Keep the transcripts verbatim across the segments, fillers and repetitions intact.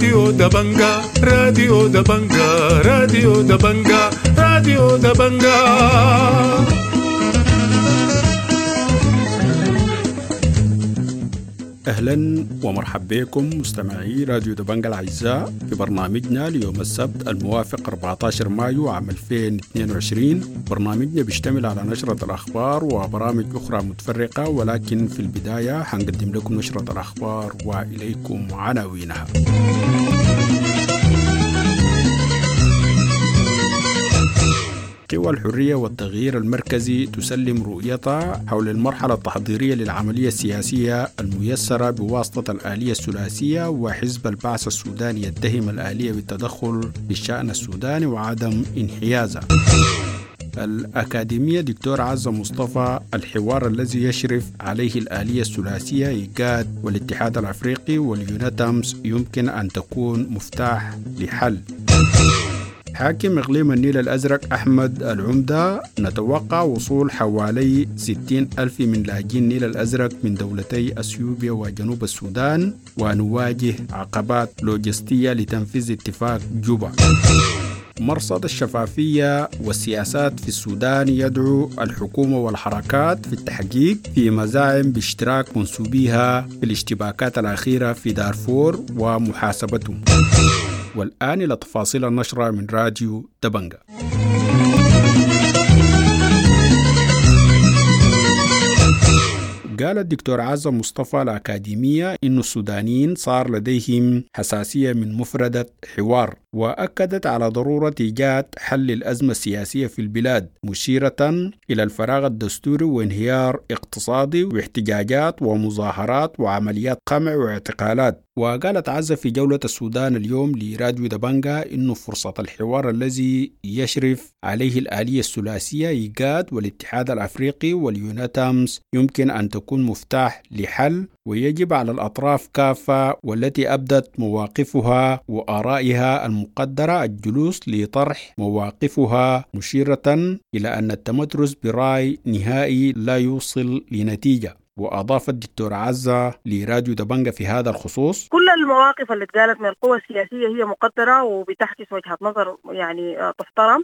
راديو دبنجا، راديو دبنجا، راديو دبنجا، راديو دبنجا. أهلا ومرحبا بكم مستمعي راديو دبنجا الأعزاء في برنامجنا ليوم السبت الموافق أربعة عشر مايو عام ألفين واثنين وعشرين. برنامجنا بيشتمل على نشرة الأخبار وبرامج أخرى متفرقة، ولكن في البداية حنقدم لكم نشرة الأخبار وإليكم عناوينها. قوى الحرية والتغيير المركزي تسلم رؤيتها حول المرحلة التحضيرية للعملية السياسية الميسرة بواسطة الآلية الثلاثية، وحزب البعث السوداني يتهم الآلية بالتدخل في الشأن السوداني وعدم انحيازها. الأكاديمية دكتور عزة مصطفى، الحوار الذي يشرف عليه الآلية الثلاثية إيجاد والاتحاد الأفريقي واليوناتامس يمكن أن تكون مفتاح لحل. حاكم إقليم النيل الأزرق أحمد العمدة، نتوقع وصول حوالي ستين ألف من لاجئين النيل الأزرق من دولتي أثيوبيا وجنوب السودان، ونواجه عقبات لوجستية لتنفيذ اتفاق جوبا. مرصد الشفافية والسياسات في السودان يدعو الحكومة والحركات في التحقيق في مزاعم باشتراك منسوبيها في الاشتباكات الأخيرة في دارفور ومحاسبتهم. والآن إلى تفاصيل النشرة من راديو دبنجا. قال الدكتور عزة مصطفى الأكاديمية إن السودانيين صار لديهم حساسية من مفردة حوار، وأكدت على ضرورة إيجاد حل الأزمة السياسية في البلاد، مشيرة إلى الفراغ الدستوري وانهيار اقتصادي واحتجاجات ومظاهرات وعمليات قمع واعتقالات. وقالت عزة في جولة السودان اليوم لراديو دبنجا إنه فرصة الحوار الذي يشرف عليه الآلية الثلاثية إيجاد والاتحاد الأفريقي واليوناتامس يمكن أن تكون مفتاح لحل، ويجب على الأطراف كافة والتي أبدت مواقفها وآرائها المقدرة الجلوس لطرح مواقفها، مشيرة إلى أن التمترس برأي نهائي لا يوصل لنتيجة. وأضاف الدكتور عزة لراديو دبنجا في هذا الخصوص: كل المواقف اللي اتقالت من القوى السياسية هي مقدرة وبتحكي وجهة نظر يعني تحترم،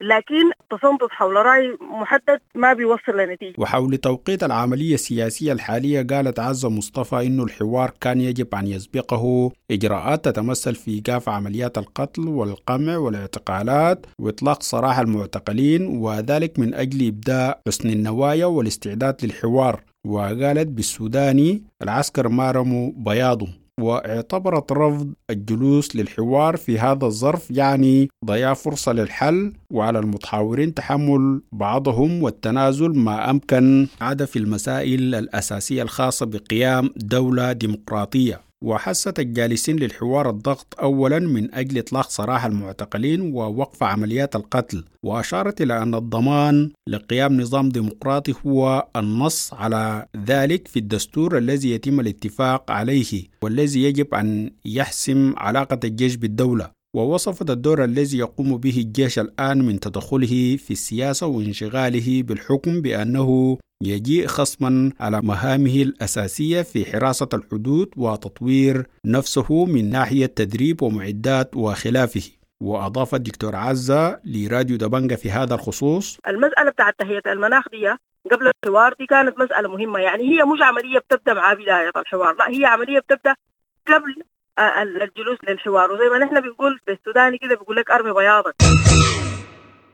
لكن التصنت حول رأي محدد ما بيوصل لنتيجة. وحول توقيت العملية السياسية الحالية قالت عزة مصطفى إنه الحوار كان يجب أن يسبقه إجراءات تتمثل في إيقاف عمليات القتل والقمع والاعتقالات وإطلاق سراح المعتقلين، وذلك من أجل إبداء حسن النوايا والاستعداد للحوار. وقالت بالسوداني العسكر ما رموا بياضه. واعتبرت رفض الجلوس للحوار في هذا الظرف يعني ضياع فرصة للحل، وعلى المتحاورين تحمل بعضهم والتنازل ما أمكن عدا في المسائل الأساسية الخاصة بقيام دولة ديمقراطية. وحثت الجالسين للحوار الضغط أولا من أجل إطلاق سراح المعتقلين ووقف عمليات القتل، وأشارت إلى أن الضمان لقيام نظام ديمقراطي هو النص على ذلك في الدستور الذي يتم الاتفاق عليه والذي يجب أن يحسم علاقة الجيش بالدولة. ووصفت الدور الذي يقوم به الجيش الآن من تدخله في السياسة وانشغاله بالحكم بأنه يجيء خصما على مهامه الأساسية في حراسة الحدود وتطوير نفسه من ناحية تدريب ومعدات وخلافه. وأضاف الدكتور عزة لراديو دبنجا في هذا الخصوص: المسألة بتاعت تهيئة المناخ دي قبل الحوار دي كانت مسألة مهمة، يعني هي مش عملية بتبدأ مع بداية الحوار، لا هي عملية بتبدأ قبل الجلوس للحوار. وزي ما نحن بنقول في السوداني كده بيقول لك أرمي بياضك.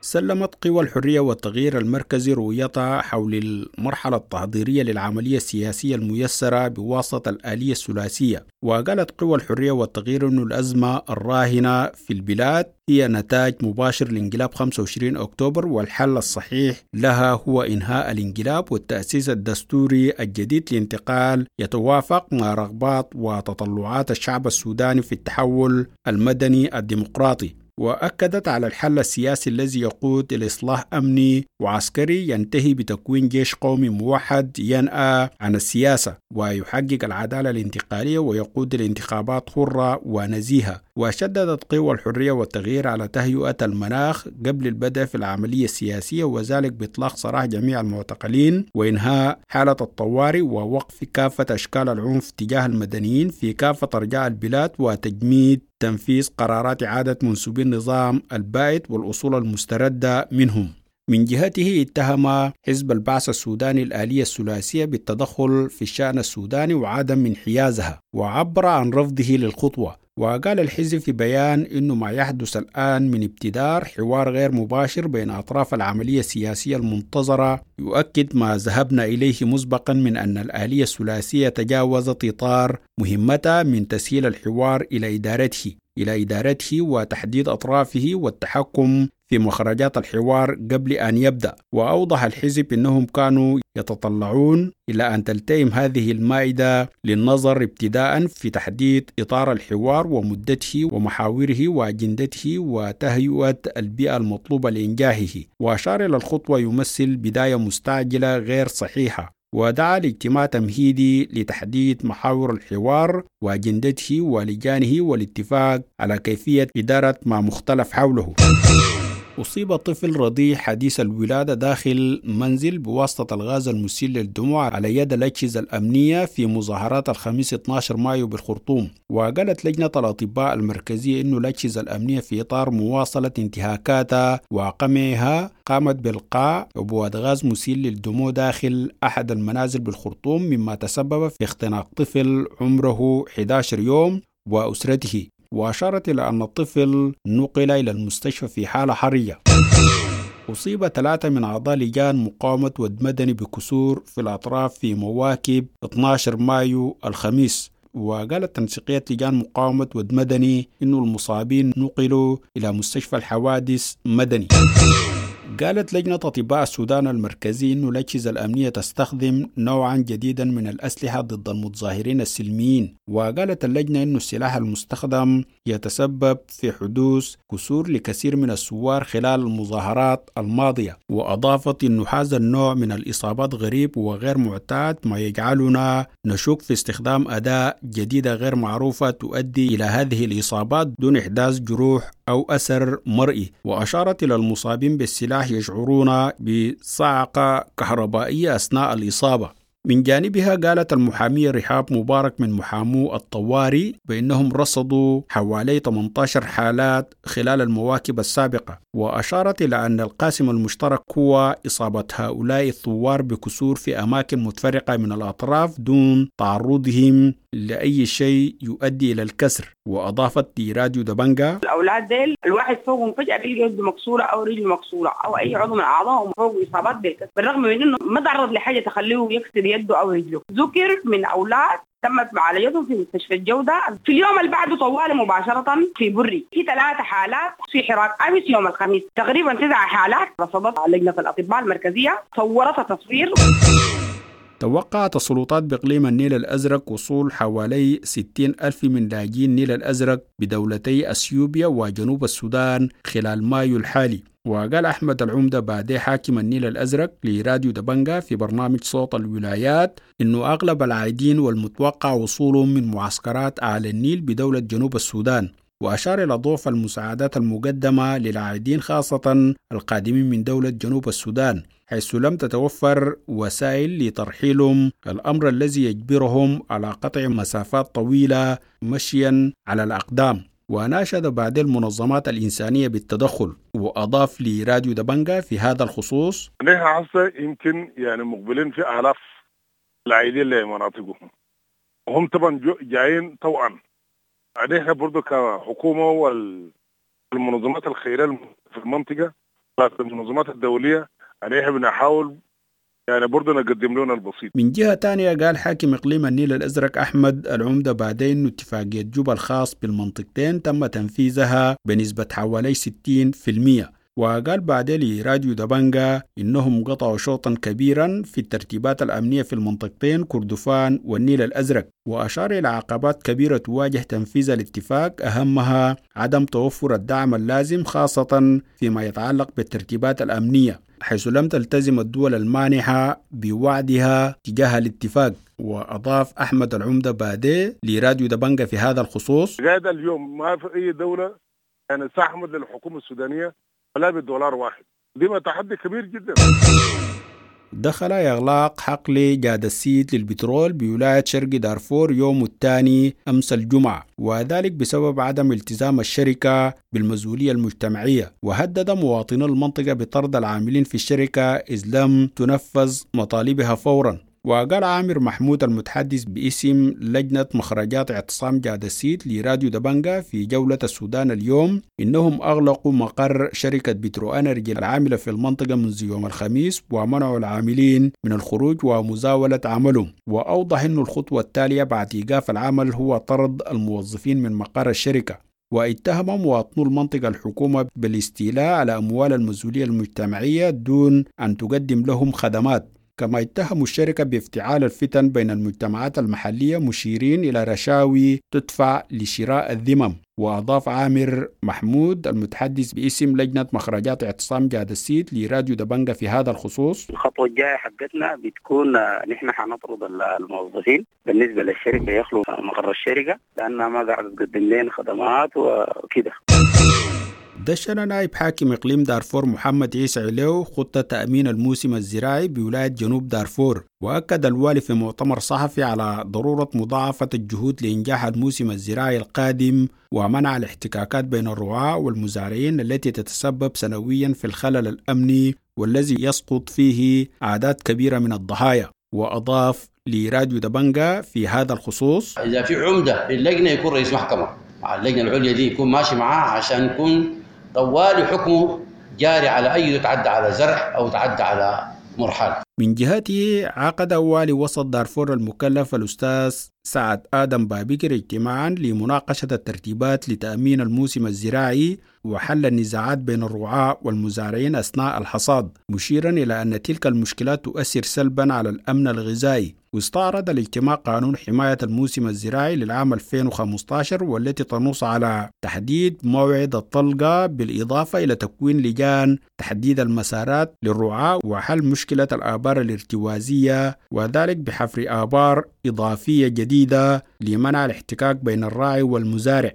سلمت قوى الحرية والتغيير المركزي رؤيتها حول المرحلة التحضيرية للعملية السياسية الميسرة بواسطة الآلية الثلاثية. وقالت قوى الحرية والتغيير أن الأزمة الراهنة في البلاد هي نتاج مباشر لانقلاب خمسة وعشرين أكتوبر، والحل الصحيح لها هو إنهاء الانقلاب والتأسيس الدستوري الجديد لانتقال يتوافق مع رغبات وتطلعات الشعب السوداني في التحول المدني الديمقراطي. وأكدت على الحل السياسي الذي يقود إلى إصلاح أمني وعسكري ينتهي بتكوين جيش قومي موحد ينأى عن السياسة ويحقق العدالة الانتقالية ويقود الانتخابات حرة ونزيهة. وشددت قوى الحرية والتغيير على تهيئة المناخ قبل البدء في العملية السياسية، وذلك بإطلاق سراح جميع المعتقلين وإنهاء حالة الطوارئ ووقف كافة أشكال العنف تجاه المدنيين في كافة أرجاء البلاد، وتجميد تنفيذ قرارات إعادة منسوبي النظام البائد والأصول المستردة منهم. من جهته اتهم حزب البعث السوداني الآلية الثلاثية بالتدخل في الشأن السوداني وعدم انحيازها، وعبر عن رفضه للخطوة. وقال الحزب في بيان إنه ما يحدث الآن من ابتدار حوار غير مباشر بين أطراف العملية السياسية المنتظرة يؤكد ما ذهبنا إليه مسبقا من أن الآلية الثلاثية تجاوزت إطار مهمتها من تسهيل الحوار إلى إدارته إلى إدارته وتحديد أطرافه والتحكم في مخرجات الحوار قبل أن يبدأ. وأوضح الحزب أنهم كانوا يتطلعون إلى أن تلتئم هذه المائدة للنظر ابتداء في تحديد إطار الحوار ومدته ومحاوره وأجندته وتهيئة البيئة المطلوبة لإنجاحه. وأشار إلى الخطوة يمثل بداية مستعجلة غير صحيحة، ودعا لاجتماع تمهيدي لتحديد محاور الحوار وأجندته ولجانه والاتفاق على كيفية إدارة ما مختلف حوله. أصيب طفل رضيع حديث الولادة داخل منزل بواسطة الغاز المسيل للدموع على يد الأجهزة الأمنية في مظاهرات الخميس اثني عشر مايو بالخرطوم. وقالت لجنة الأطباء المركزية إنه الأجهزة الأمنية في إطار مواصلة انتهاكاتها وقمعها قامت بإلقاء عبوات غاز مسيل للدموع داخل أحد المنازل بالخرطوم، مما تسبب في اختناق طفل عمره أحد عشر يوم وأسرته. وأشارت إلى أن الطفل نقل إلى المستشفى في حالة حرجة. أصيب ثلاثة من أعضاء لجان مقاومة ود مدني بكسور في الأطراف في مواكب اثني عشر مايو الخميس. وقالت تنسيقية لجان مقاومة ود مدني إنه المصابين نقلوا إلى مستشفى الحوادث مدني. قالت لجنة أطباء السودان المركزي إنه الأجهزة الأمنية تستخدم نوعا جديدا من الأسلحة ضد المتظاهرين السلميين. وقالت اللجنة إنه السلاح المستخدم يتسبب في حدوث كسور لكثير من الثوار خلال المظاهرات الماضية. وأضافت إنه هذا النوع من الإصابات غريب وغير معتاد، ما يجعلنا نشك في استخدام أداة جديدة غير معروفة تؤدي إلى هذه الإصابات دون إحداث جروح أو أثر مرئي. وأشارت إلى المصابين بالسلاح يشعرون بصعقة كهربائية أثناء الإصابة. من جانبها قالت المحامية رحاب مبارك من محامو الطوارئ بأنهم رصدوا حوالي ثمانية عشر حالات خلال المواكب السابقة. وأشارت إلى أن القاسم المشترك هو إصابة هؤلاء الثوار بكسور في أماكن متفرقة من الأطراف دون تعرضهم لأي شيء يؤدي إلى الكسر. وأضافت لراديو دبنجا: الأولاد ديل الواحد فوقهم فجأة بيلقى يده مكسورة أو رجله مكسورة أو أي عضو من أعضائهم فوق إصابات بالكسر، بالرغم من إنه ما تعرض لحاجة تخليه يكسر يده أو رجله. ذكر من أولاد تمت معالجتهم في مستشفى الجودة في اليوم اللي بعده طوال مباشرة في بري. في ثلاث حالات في حراك أمس يوم الخميس، تقريبا تسع حالات رصدت لجنة الأطباء المركزية، صورتها تصوير. توقعت السلطات بإقليم النيل الأزرق وصول حوالي ستين ألف من لاجئين النيل الأزرق بدولتي أثيوبيا وجنوب السودان خلال مايو الحالي. وقال أحمد العمدة بادي حاكم النيل الأزرق لراديو دبنجا في برنامج صوت الولايات إنه أغلب العائدين والمتوقع وصولهم من معسكرات أعلى النيل بدولة جنوب السودان. وأشار إلى ضعف المساعدات المقدمة للعائدين خاصة القادمين من دولة جنوب السودان، حيث لم تتوفر وسائل لترحيلهم، الأمر الذي يجبرهم على قطع مسافات طويلة مشيا على الأقدام. وناشد بعد المنظمات الإنسانية بالتدخل. وأضاف لراديو دبنجا في هذا الخصوص: نحن هسه يمكن يعني مقبلين في آلاف العائدين لمناطقهم، وهم طبعا جايين طوعا. نحن برضو كحكومة والمنظمات الخيرية في المنطقة المنظمات الدولية نحن بنحاول يعني برضو نقدم لنا البسيط. من جهة تانية قال حاكم إقليم النيل الأزرق أحمد العمدة بعدين اتفاقية جوبا الخاص بالمنطقتين تم تنفيذها بنسبة حوالي ستين بالمئة. وقال بعدين لراديو دبنجا إنهم قطعوا شوطا كبيرا في الترتيبات الأمنية في المنطقتين كردفان والنيل الأزرق، وأشار إلى عقبات كبيرة تواجه تنفيذ الاتفاق، أهمها عدم توفر الدعم اللازم خاصة فيما يتعلق بالترتيبات الأمنية، حيث لم تلتزم الدول المانحة بوعدها تجاه الاتفاق. وأضاف أحمد العمدة بادي لراديو دبنجا في هذا الخصوص: لغاية اليوم ما في أي دولة يعني ساهمت للحكومة السودانية ولا بالدولار واحد، دي تحدي كبير جدا. دخل إغلاق حقل جاد السيد للبترول بولاية شرق دارفور يوم الثاني أمس الجمعة، وذلك بسبب عدم التزام الشركة بالمسؤولية المجتمعية، وهدد مواطني المنطقة بطرد العاملين في الشركة إذ لم تنفذ مطالبها فورا. وقال عامر محمود المتحدث باسم لجنة مخرجات اعتصام جاد السيد لراديو دبنجا في جولة السودان اليوم إنهم أغلقوا مقر شركة بترو أنرجي العاملة في المنطقة منذ يوم الخميس ومنعوا العاملين من الخروج ومزاولة عملهم. وأوضح أن الخطوة التالية بعد إيقاف العمل هو طرد الموظفين من مقر الشركة. واتهم مواطنو المنطقة الحكومة بالاستيلاء على أموال المسؤولية المجتمعية دون أن تقدم لهم خدمات. كما اتهموا الشركة بافتعال الفتن بين المجتمعات المحلية، مشيرين إلى رشاوي تدفع لشراء الذمم. وأضاف عامر محمود المتحدث باسم لجنة مخرجات اعتصام جاد السيد لراديو دبنجا في هذا الخصوص: الخطوة الجاية حقتنا بتكون نحن حنطرد الموظفين بالنسبة للشركة، يخلوا مقر الشركة لأنها ما قاعدة تقدم لنا خدمات وكده. دشن نائب حاكم إقليم دارفور محمد عيسى عليو خطة تأمين الموسم الزراعي بولاية جنوب دارفور، وأكد الوالي في مؤتمر صحفي على ضرورة مضاعفة الجهود لإنجاح الموسم الزراعي القادم ومنع الاحتكاكات بين الرعاة والمزارعين التي تتسبب سنويا في الخلل الأمني والذي يسقط فيه أعداد كبيرة من الضحايا. وأضاف لراديو دبنجا في هذا الخصوص: إذا في عمدة للجنة يكون رئيس محكمة مع اللجنة العليا دي، يكون ماشي معاه عشان يكون طوال حكمه جاري على أي يتعدى على زرع أو تعدى على مرحلة. من جهته عقد والي وسط دارفور المكلف الأستاذ سعد آدم بابكر اجتماعا لمناقشة الترتيبات لتأمين الموسم الزراعي وحل النزاعات بين الرعاة والمزارعين أثناء الحصاد، مشيرا إلى أن تلك المشكلات تؤثر سلبا على الأمن الغذائي. واستعرض الاجتماع قانون حماية الموسم الزراعي للعام ألفين وخمسة عشر والتي تنص على تحديد موعد الطلقة، بالإضافة إلى تكوين لجان تحديد المسارات للرعاة وحل مشكلة الآبار الارتوازية، وذلك بحفر آبار إضافية جديدة لمنع الاحتكاك بين الراعي والمزارع.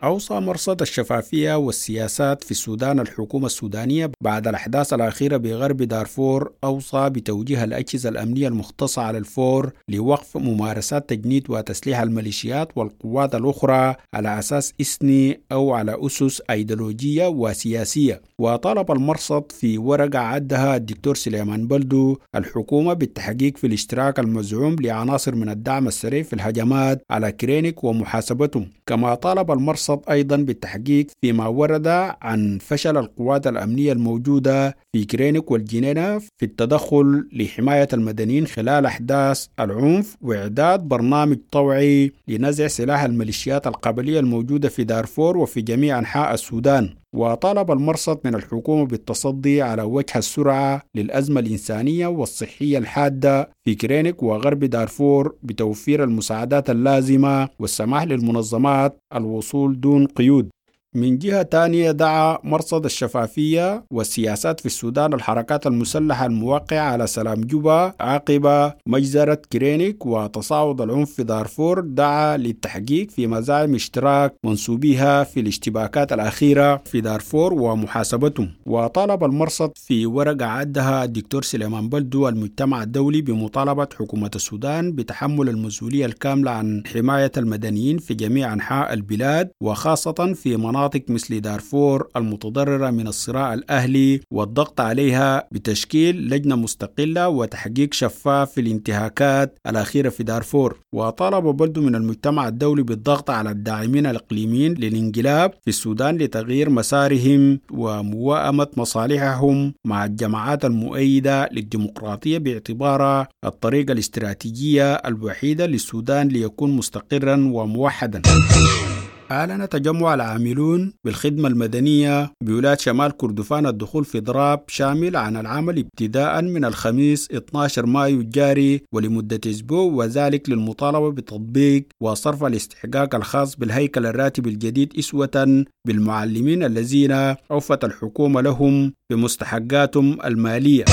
أوصى مرصد الشفافية والسياسات في السودان الحكومة السودانية بعد الأحداث الأخيرة بغرب دارفور، أوصى بتوجيه الأجهزة الأمنية المختصة على الفور لوقف ممارسات تجنيد وتسليح الميليشيات والقوات الأخرى على أساس إثني أو على أسس أيديولوجية وسياسية. وطالب المرصد في ورقة عدها الدكتور سليمان بلدو الحكومة بالتحقيق في الاشتراك المزعوم لعناصر من الدعم السريع في الهجمات على كرينيك ومحاسبتهم. كما طالب المرصد أيضا بالتحقيق فيما ورد عن فشل القوات الأمنية الموجودة في كرينيك والجنينة في التدخل لحماية المدنيين خلال أحداث العنف، وإعداد برنامج طوعي لنزع سلاح الميليشيات القبلية الموجودة في دارفور وفي جميع أنحاء السودان. وطالب المرصد من الحكومة بالتصدي على وجه السرعة للأزمة الإنسانية والصحية الحادة في كرينيك وغرب دارفور بتوفير المساعدات اللازمة والسماح للمنظمات الوصول دون قيود. من جهة تانية دعا مرصد الشفافية والسياسات في السودان الحركات المسلحة الموقعة على سلام جوبا عقب مجزرة كرينيك وتصاعد العنف في دارفور، دعا للتحقيق في مزاعم اشتراك منسوبيها في الاشتباكات الأخيرة في دارفور ومحاسبتهم. وطالب المرصد في ورقة عدها الدكتور سليمان بلدو المجتمع الدولي بمطالبة حكومة السودان بتحمل المسؤولية الكاملة عن حماية المدنيين في جميع أنحاء البلاد، وخاصة في مناطق مناطق مثل دارفور المتضررة من الصراع الأهلي، والضغط عليها بتشكيل لجنة مستقلة وتحقيق شفاف في الانتهاكات الأخيرة في دارفور. وطالب بلدو من المجتمع الدولي بالضغط على الداعمين الإقليميين للانقلاب في السودان لتغيير مسارهم ومواءمة مصالحهم مع الجماعات المؤيدة للديمقراطية باعتبارها الطريقة الاستراتيجية الوحيدة للسودان ليكون مستقرا وموحدا. أعلن تجمع العاملون بالخدمة المدنية بولاية شمال كردفان الدخول في إضراب شامل عن العمل ابتداء من الخميس اثني عشر مايو الجاري ولمدة أسبوع، وذلك للمطالبة بتطبيق وصرف الاستحقاق الخاص بالهيكل الراتب الجديد إسوة بالمعلمين الذين أوفت الحكومة لهم بمستحقاتهم المالية.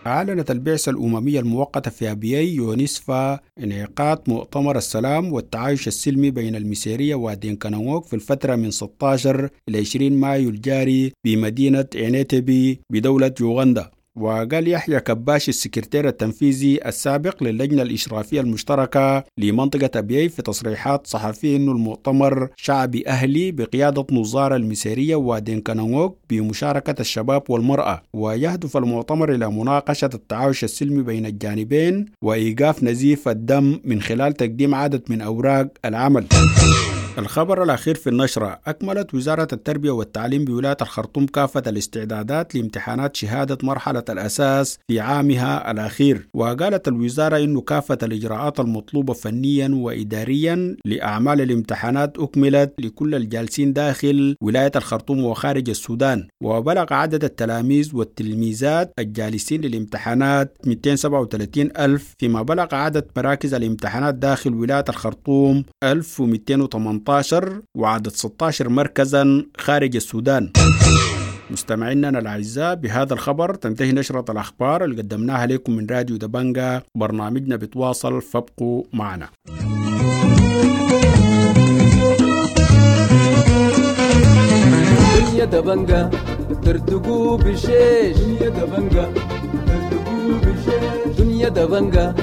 أعلنت البعثة الأممية المؤقتة في أبيي يونسفا انعقاد مؤتمر السلام والتعايش السلمي بين المسيرية ودينكا في الفترة من ستة عشر إلى عشرين مايو الجاري بمدينة إنتبي بدولة يوغندا. وقال يحيى كباش السكرتير التنفيذي السابق للجنة الإشرافية المشتركة لمنطقة أبيي في تصريحات صحفية أن المؤتمر شعبي أهلي بقيادة نظار المسيرية ودينكا نقوك بمشاركة الشباب والمرأة، ويهدف المؤتمر إلى مناقشة التعايش السلمي بين الجانبين وإيقاف نزيف الدم من خلال تقديم عدد من أوراق العمل. الخبر الأخير في النشرة: أكملت وزارة التربية والتعليم بولاية الخرطوم كافة الاستعدادات لامتحانات شهادة مرحلة الأساس في عامها الأخير، وقالت الوزارة إن كافة الإجراءات المطلوبة فنيا وإداريا لأعمال الامتحانات أكملت لكل الجالسين داخل ولاية الخرطوم وخارج السودان، وبلغ عدد التلاميذ والتلميذات الجالسين للامتحانات مئتين وسبعة وثلاثين ألف، فيما بلغ عدد مراكز الامتحانات داخل ولاية الخرطوم ألف ومئتين وثمانية عشر وعدد ستة عشر مركزا خارج السودان. مستمعينا الأعزاء، بهذا الخبر تنتهي نشرة الأخبار اللي قدمناها لكم من راديو دبنجا. برنامجنا بتواصل، فابقوا معنا. دنيا دبنجا ترتقوا بشيش، دنيا دبنجا ترتقوا بشيش، دنيا دبنجا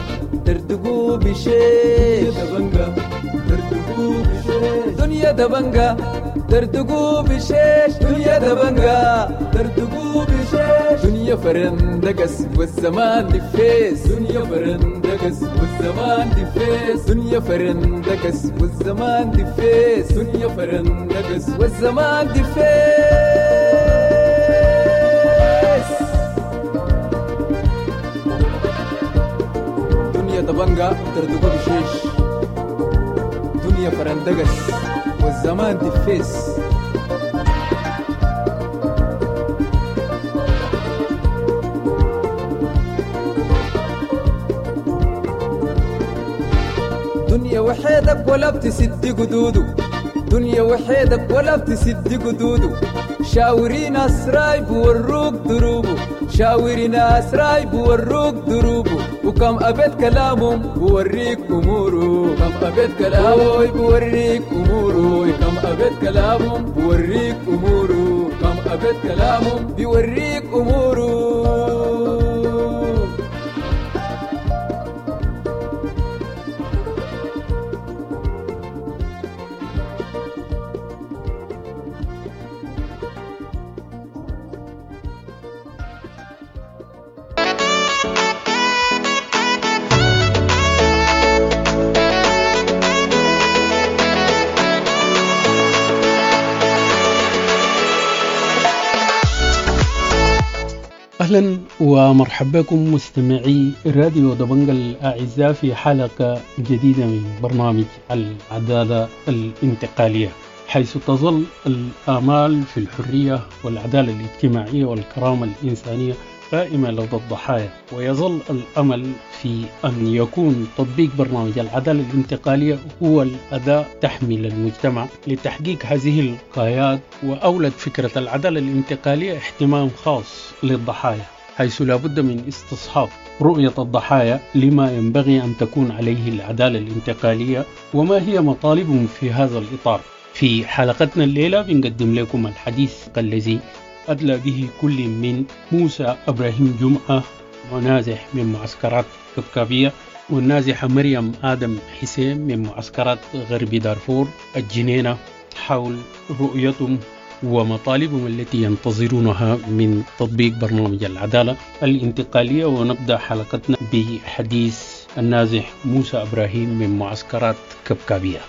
ترتقوا بشيش، دبنجا ترتقوا بشيش، دنيا دبنجا ترتقوا بشيش، دنيا دبنجا ترتقوا بشيش، دنيا فرندقس والزمان دفيس، دنيا فرندقس والزمان دفيس، دنيا فرندقس والزمان دفيس، دنيا فرندقس والزمان دفيس. دنيا دبنجا ترتقوا بشيش، دنيا فرندقس والزمان دفيس. دنيا وحيدك ولا بتسد قدوده، دنيا وحيدك ولا بتسد قدوده، شاوري ناس رايب وروك دروبه، شاوري ناس رايب وروك دروبه، وكم أبيت كلامهم بوريك أموره، كم أبيت كلامهم بوريك أموره، كم أبيت كلامهم بوريك أموره، كم أبيت كلامهم بيوريك أموره. أهلا ومرحبا بكم مستمعي راديو دبنجا الأعزاء في حلقة جديدة من برنامج العدالة الانتقالية، حيث تظل الآمال في الحرية والعدالة الاجتماعية والكرامة الإنسانية قائمة لدى الضحايا، ويظل الأمل في أن يكون تطبيق برنامج العدالة الانتقالية هو الأداة تحمل المجتمع لتحقيق هذه الغايات. وأولد فكرة العدالة الانتقالية اهتمام خاص للضحايا، حيث لا بد من استصحاب رؤية الضحايا لما ينبغي أن تكون عليه العدالة الانتقالية وما هي مطالبهم في هذا الإطار. في حلقتنا الليلة بنقدم لكم الحديث الذي أدلى به كل من موسى إبراهيم جمعة منازح من معسكرات كبكابية، والنازحة مريم آدم حسين من معسكرات غرب دارفور الجنينة، حول رؤيتهم ومطالبهم التي ينتظرونها من تطبيق برنامج العدالة الانتقالية. ونبدأ حلقتنا بحديث النازح موسى إبراهيم من معسكرات كبكابية.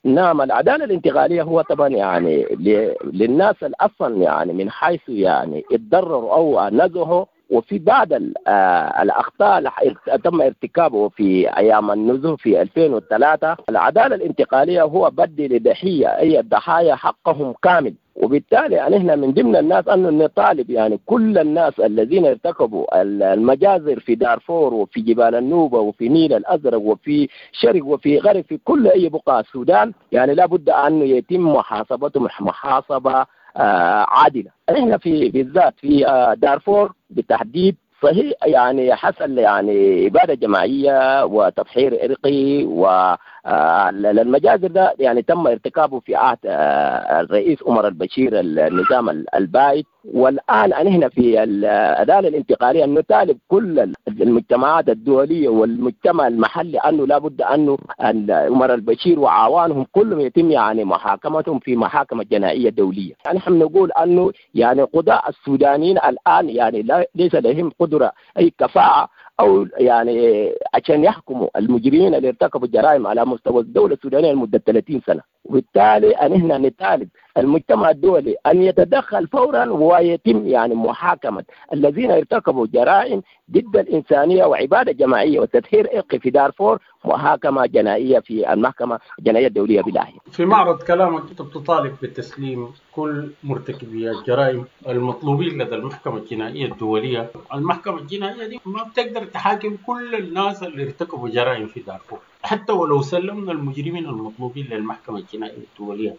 نعم، العدالة الانتقالية هو طبعا يعني للناس الأصلا يعني من حيث يعني اتضرروا أو نزحوا وفي بعض الأخطاء اللي تم ارتكابه في أيام النزوح في ألفين وثلاثة. العدالة الانتقالية هو بدي لضحية أي الضحايا حقهم كامل، وبالتالي يعني احنا من ضمن الناس انه نطالب يعني كل الناس الذين ارتكبوا المجازر في دارفور وفي جبال النوبة وفي نيل الازرق وفي شرق وفي غرب في كل اي بقعة السودان، يعني لابد انه يتم محاسبتهم محاسبه آه عادلة. احنا في بالذات في آه دارفور بالتحديد صحيح يعني حصل يعني إبادة جماعية وتطهير عرقي، والمجازر ده يعني تم ارتكابه في عهد الرئيس عمر البشير النظام البائد. والآن نحن في العدالة الانتقالية نطالب كل المجتمعات الدولية والمجتمع المحلي أنه لابد أنه عمر البشير وعوانهم كلهم يتم يعني محاكمتهم في محاكمة جنائية دولية. يعني نحن نقول أنه يعني قضاء السودانيين الآن يعني ليس لهم قدرة أي كفاءة أو يعني عشان يحكموا المجرمين اللي ارتكبوا الجرائم على مستوى الدولة السودانية لمدة ثلاثين سنة. وبالتالي أن احنا نطالب المجتمع الدولي أن يتدخل فورا ويتم يعني محاكمة الذين ارتكبوا جرائم ضد الإنسانية وعبادة جماعية وتطهير عرقي في دارفور محاكمة جنائية في المحكمة الجنائية الدولية بلاهي. في معرض كلامك أنت بتطالب بتسليم كل مرتكبي الجرائم المطلوبين لدى المحكمة الجنائية الدولية. المحكمة الجنائية دي ما بتقدر تحاكم كل الناس اللي ارتكبوا جرائم في دارفور، حتى ولو سلمنا المجرمين المطلوبين للمحكمة الجنائية الدولية.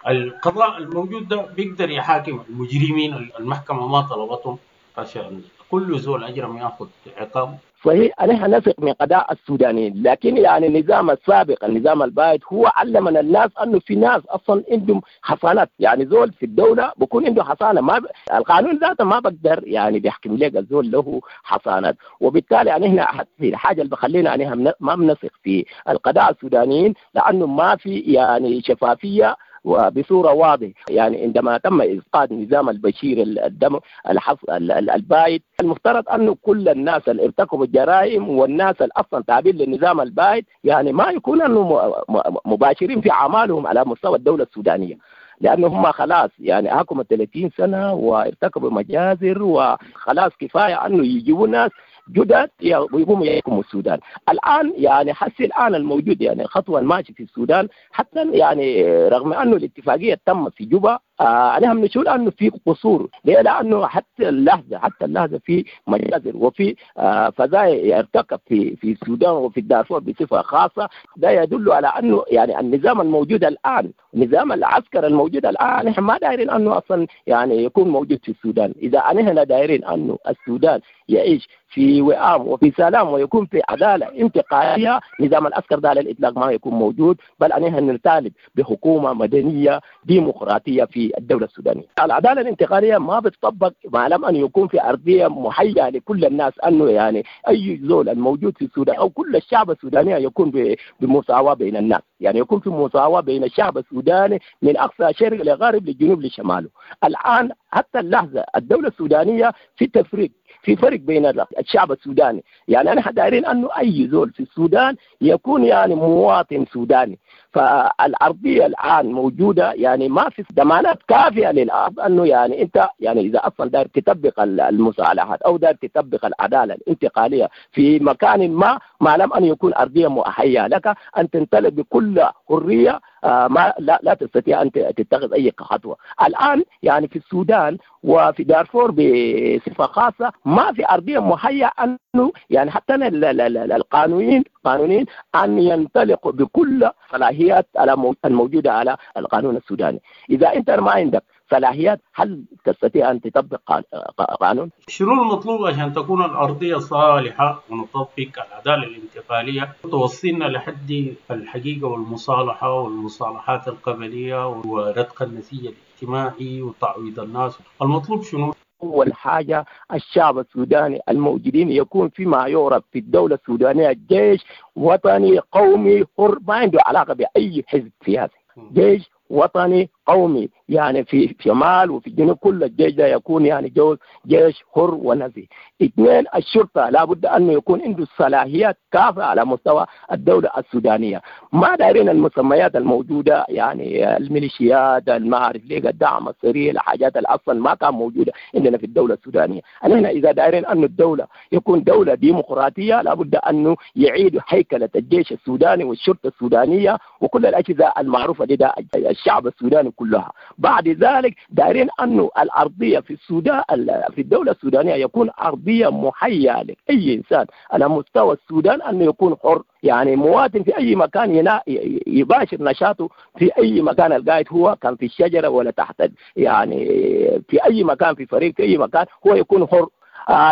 القضاء الموجود ده بيقدر يحاكم المجرمين المحكمة ما طلبتهم عشان كل زول أجرم ياخذ عقاب. صحيح نحن نثق من قضاء السودانيين، لكن يعني النظام السابق النظام البائد هو علمنا الناس انه في ناس اصلا عندهم حصانات، يعني زول في الدولة بكون عنده حصانه، ما ب... القانون ذاته ما بقدر يعني بيحكم لك الزول له حصانات. وبالتالي يعني احنا في الحاجة اللي بخلينا يعني ما بنثق في القضاء السودانيين لانه ما في يعني شفافية وبصورة واضحة. يعني عندما تم إسقاط نظام البشير الدم الحص البايد، المفترض أنه كل الناس اللي ارتكبوا الجرائم والناس اللي أصلا تابعين للنظام البايد يعني ما يكون أنه مباشرين في أعمالهم على مستوى الدولة السودانية، لأنه هم خلاص يعني حكموا ثلاثين سنة وارتكبوا مجازر وخلاص كفاية أنه يجيبوا ناس جدد ويقوموا يحكموا السودان. الآن يعني حس الآن الموجود يعني الخطوة الماشية في السودان، حتى يعني رغم أنه الاتفاقية تم في جوبا آه أنا هم نشوف أنه في قصور. ليه؟ لأنه حتى اللحظة حتى اللحظة في مجازر وفي آه فزايا يرتكب في في السودان وفي الدارفور بصفة خاصة. ده يدل على أنه يعني النظام الموجود الآن، نظام العسكر الموجود الآن، نحن ما دايرين أنه أصلا يعني يكون موجود في السودان. إذا نحن دايرين أنه السودان يعيش في وئام وفي سلام ويكون في عدالة انتقالية، نظام العسكر ده على الإطلاق ما يكون موجود، بل نحن نطالب بحكومة مدنية ديمقراطية في الدولة السودانية. العدالة الانتقالية ما بتطبق ما لم أن يكون في أرضية محية لكل الناس، أنه يعني أي زول الموجود في السودان أو كل الشعب السوداني يكون بمساواة بين الناس، يعني يكون في مساواة بين الشعب السوداني من أقصى شرق لغرب للجنوب لشماله. الآن حتى اللحظة الدولة السودانية في تفريق، في فرق بين الشعب السوداني. يعني أنا دايرين أنه أي زول في السودان يكون يعني مواطن سوداني. فالأرضية الآن موجودة، يعني ما في ضمانات كافية للأرض أنه يعني أنت يعني إذا أصلا داير تطبق المصالحات أو داير تطبق العدالة الانتقالية في مكان ما، ما لم أن يكون أرضية مؤهلة لك أن تنطلق بكل حرية، آه ما لا, لا تستطيع أن تتخذ أي خطوة. الآن يعني في السودان وفي دارفور بصفة خاصة ما في أرضية مهيئة أنه يعني حتى القانونيين قانونيين أن ينطلقوا بكل صلاحيات على الموجودة على القانون السوداني. إذا أنت ما عندك صلاحيات هل تستطيع أن تطبق قانون؟ شنو المطلوب عشان تكون الأرضية صالحة ونطبق العدالة الانتقالية توصلنا لحد الحقيقة والمصالحة والمصالحات القبلية ورتق النسيج الاجتماعي وتعويض الناس؟ المطلوب شنو؟ أول حاجة الشعب السوداني الموجودين يكون فيما يعرف في الدولة السودانية جيش وطني قومي حر، ما عنده علاقة بأي حزب سياسي، جيش وطني قومي يعني في شمال وفي الجنوب، كل الجيش ده يكون يعني جيش حر ونزيه. اثنين، الشرطة لابد أنه يكون عنده الصلاحيات كافية على مستوى الدولة السودانية. ما دايرين المسميات الموجودة يعني الميليشيات، المعارف ليه، الدعم السريع، الحاجات اللي أصلا ما كان موجودة عندنا في الدولة السودانية. نحن إذا دايرين أن الدولة يكون دولة ديمقراطية لابد أنه يعيد هيكلة الجيش السوداني والشرطة السودانية وكل الأجهزة المعروفة لدى الشعب السوداني كلها. بعد ذلك دايرين أنه الأرضية في السودان في الدولة السودانية يكون أرضية محية لأي إنسان على مستوى السودان أنه يكون حر، يعني مواطن في أي مكان ينا يباشر نشاطه في أي مكان القاعد، هو كان في الشجرة ولا تحت، يعني في أي مكان، في فريق، في أي مكان هو يكون حر.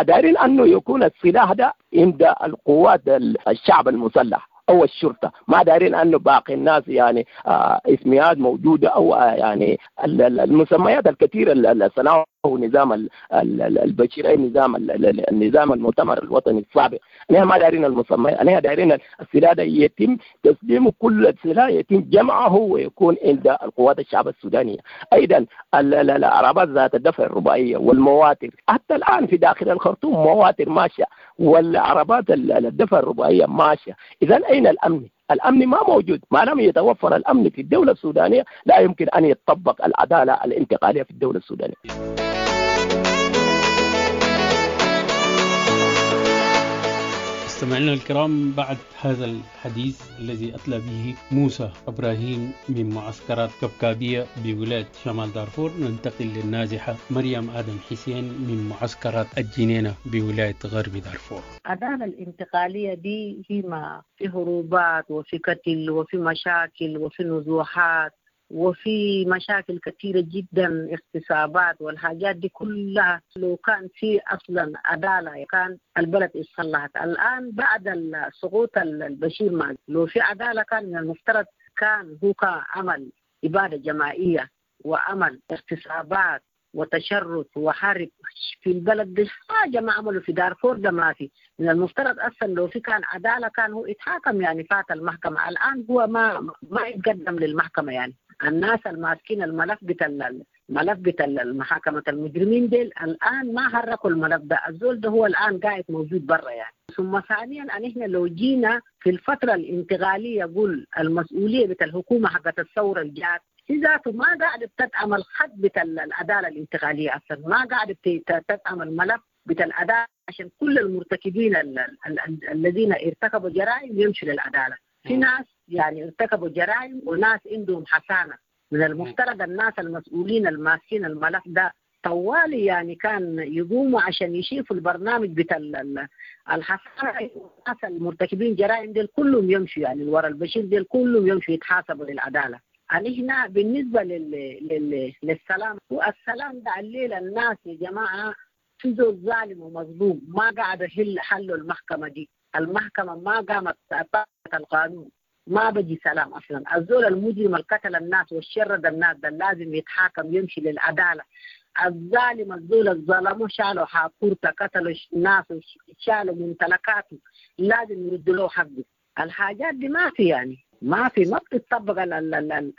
دايرين أنه يكون السلاح ده عند القوات الشعب المسلح أو الشرطة، ما دارين أنه باقي الناس يعني آه اسميات موجودة أو آه يعني المسميات الكثيرة اللي صنعه نظام البشير، أي نظام النظام المؤتمر الوطني السابق. نحن ما دارين المسميات، نحن دارين السلاح ده يتم تسليم كل السلاح يتم جمعه ويكون عند القوات الشعب السودانية. أيضا العربات ذات الدفع الرباعية والمواتر، حتى الآن في داخل الخرطوم مواتر ماشية والعربات الدفع الرباعية ماشية. إذا أين الأمن؟ الأمن ما موجود. ما لم يتوفر الأمن في الدولة السودانية لا يمكن أن يتطبق العدالة الانتقالية في الدولة السودانية. مستمعينا الكرام، بعد هذا الحديث الذي أتلى به موسى إبراهيم من معسكرات كبكابية بولاية شمال دارفور، ننتقل للنازحة مريم آدم حسين من معسكرات الجنينة بولاية غرب دارفور. العدالة الانتقالية دي هي ما في هروبات وفي قتل وفي مشاكل وفي نزوحات وفي مشاكل كثيرة جدا، اغتصابات والحاجات دي كلها. لو كان في أصلا عدالة كان البلد اتصلحت. الآن بعد سقوط البشير ما لو في عدالة كان من المفترض كان هو عمل إبادة جماعية وعمل اغتصابات وتشرد وحرب في البلد دي، حاجة ما عملوا في دارفور ده ما في. من المفترض أصلا لو في كان عدالة كان هو اتحاكم يعني، فات المحكمة. الآن هو ما ما يتقدم للمحكمة يعني. الناس الماسكين الملف بتاع الملف بتاع المحاكمة المجرمين ديل الآن ما حركوا الملف ده، الزول ده هو الآن قاعد موجود برا يعني. ثم ثانيا أن إحنا لو جينا في الفترة الانتقالية قول المسؤولية بتاع الحكومة حقت الثورة الجات هي ذاته ما قاعدة بتدعم الخط بتاع العدالة الانتقالية أصلا، ما قاعدة تدعم الملف بتاع العدالة عشان كل المرتكبين ال ال ال الذين ارتكبوا جرائم يمشوا للعدالة. في ناس يعني ارتكبوا جرائم وناس عندهم حسانة. من المفترض الناس المسؤولين الماسكين الملف ده طوالي يعني كان يقوموا عشان يشوفوا البرنامج بتاع الحسانة، والناس المرتكبين جرائم ديل كلهم يمشوا يعني ورا البشير ديل كلهم يمشوا يتحاسبوا للعدالة. يعني هنا بالنسبة لل... لل... للسلام، والسلام ده الليلة الناس يا جماعة في زول ظالم ومظلوم ما قاعد يحل حلوا المحكمة دي، المحكمة ما قامت طبقت القانون، ما بجي سلام أصلا. الزول المجرم القتل الناس والشرد الناس ده لازم يتحاكم يمشي للعدالة. الظالم الزول الظلموا شالوا حاكورته قتلوا الناس شالوا ممتلكاته لازم يردوا له حقه. الحاجات دي ما في يعني ما في ما بتطبق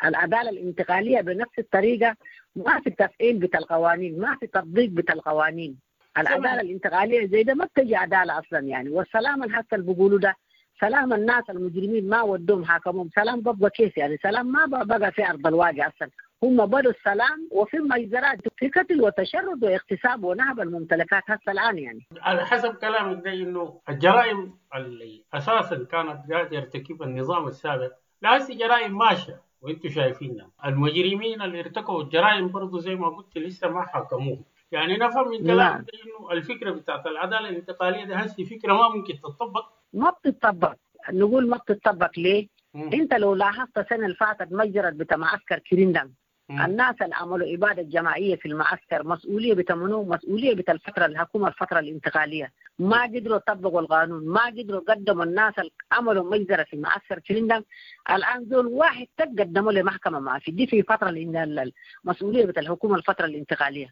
العدالة الانتقالية بنفس الطريقة، ما في تفعيل بتاع القوانين، ما في تطبيق بتاع القوانين. العدالة الانتقالية زي ده ما بتجي عدالة أصلا يعني. والسلام حتى اللي بيقولوا ده سلام الناس المجرمين ما ودوهم حاكمهم، سلام ببقى كيف يعني؟ سلام ما بقى في أرض الواقع أصلا. هم بدوا السلام وفي مجزرات في قتل وتشرد واغتصاب ونهب الممتلكات هسه الآن يعني. على حسب كلامك ده إنه الجرائم اللي أساسا كانت قاعد يرتكبها النظام السابق لا هسه جرائم ماشية وانتم شايفينها. المجرمين اللي ارتكبوا الجرائم برضو زي ما قلت لسه ما حكموهم. يعني نفهم من كلامك إنه الفكرة بتاعت العدالة الانتقالية ده هسه فكرة ما ممكن تطبق. ما بتطبق، نقول ما بتطبق ليه؟ مم. انت لو لاحظت السنة اللي فاتت مجرد بتاع معسكر كريندم، الناس اللي عملوا إبادة جماعية في المعسكر مسؤولية بتمنو مسؤولية بتاع الفترة الحكومة الفترة الانتقالية ما قدروا يطبقوا القانون، ما قدروا قدموا الناس اللي عملوا مجزرة في معسكر كريندم. الآن زول واحد تقدموا لمحكمة ما في دي في فترة المسؤولية بتاع الحكومة الفترة الانتقالية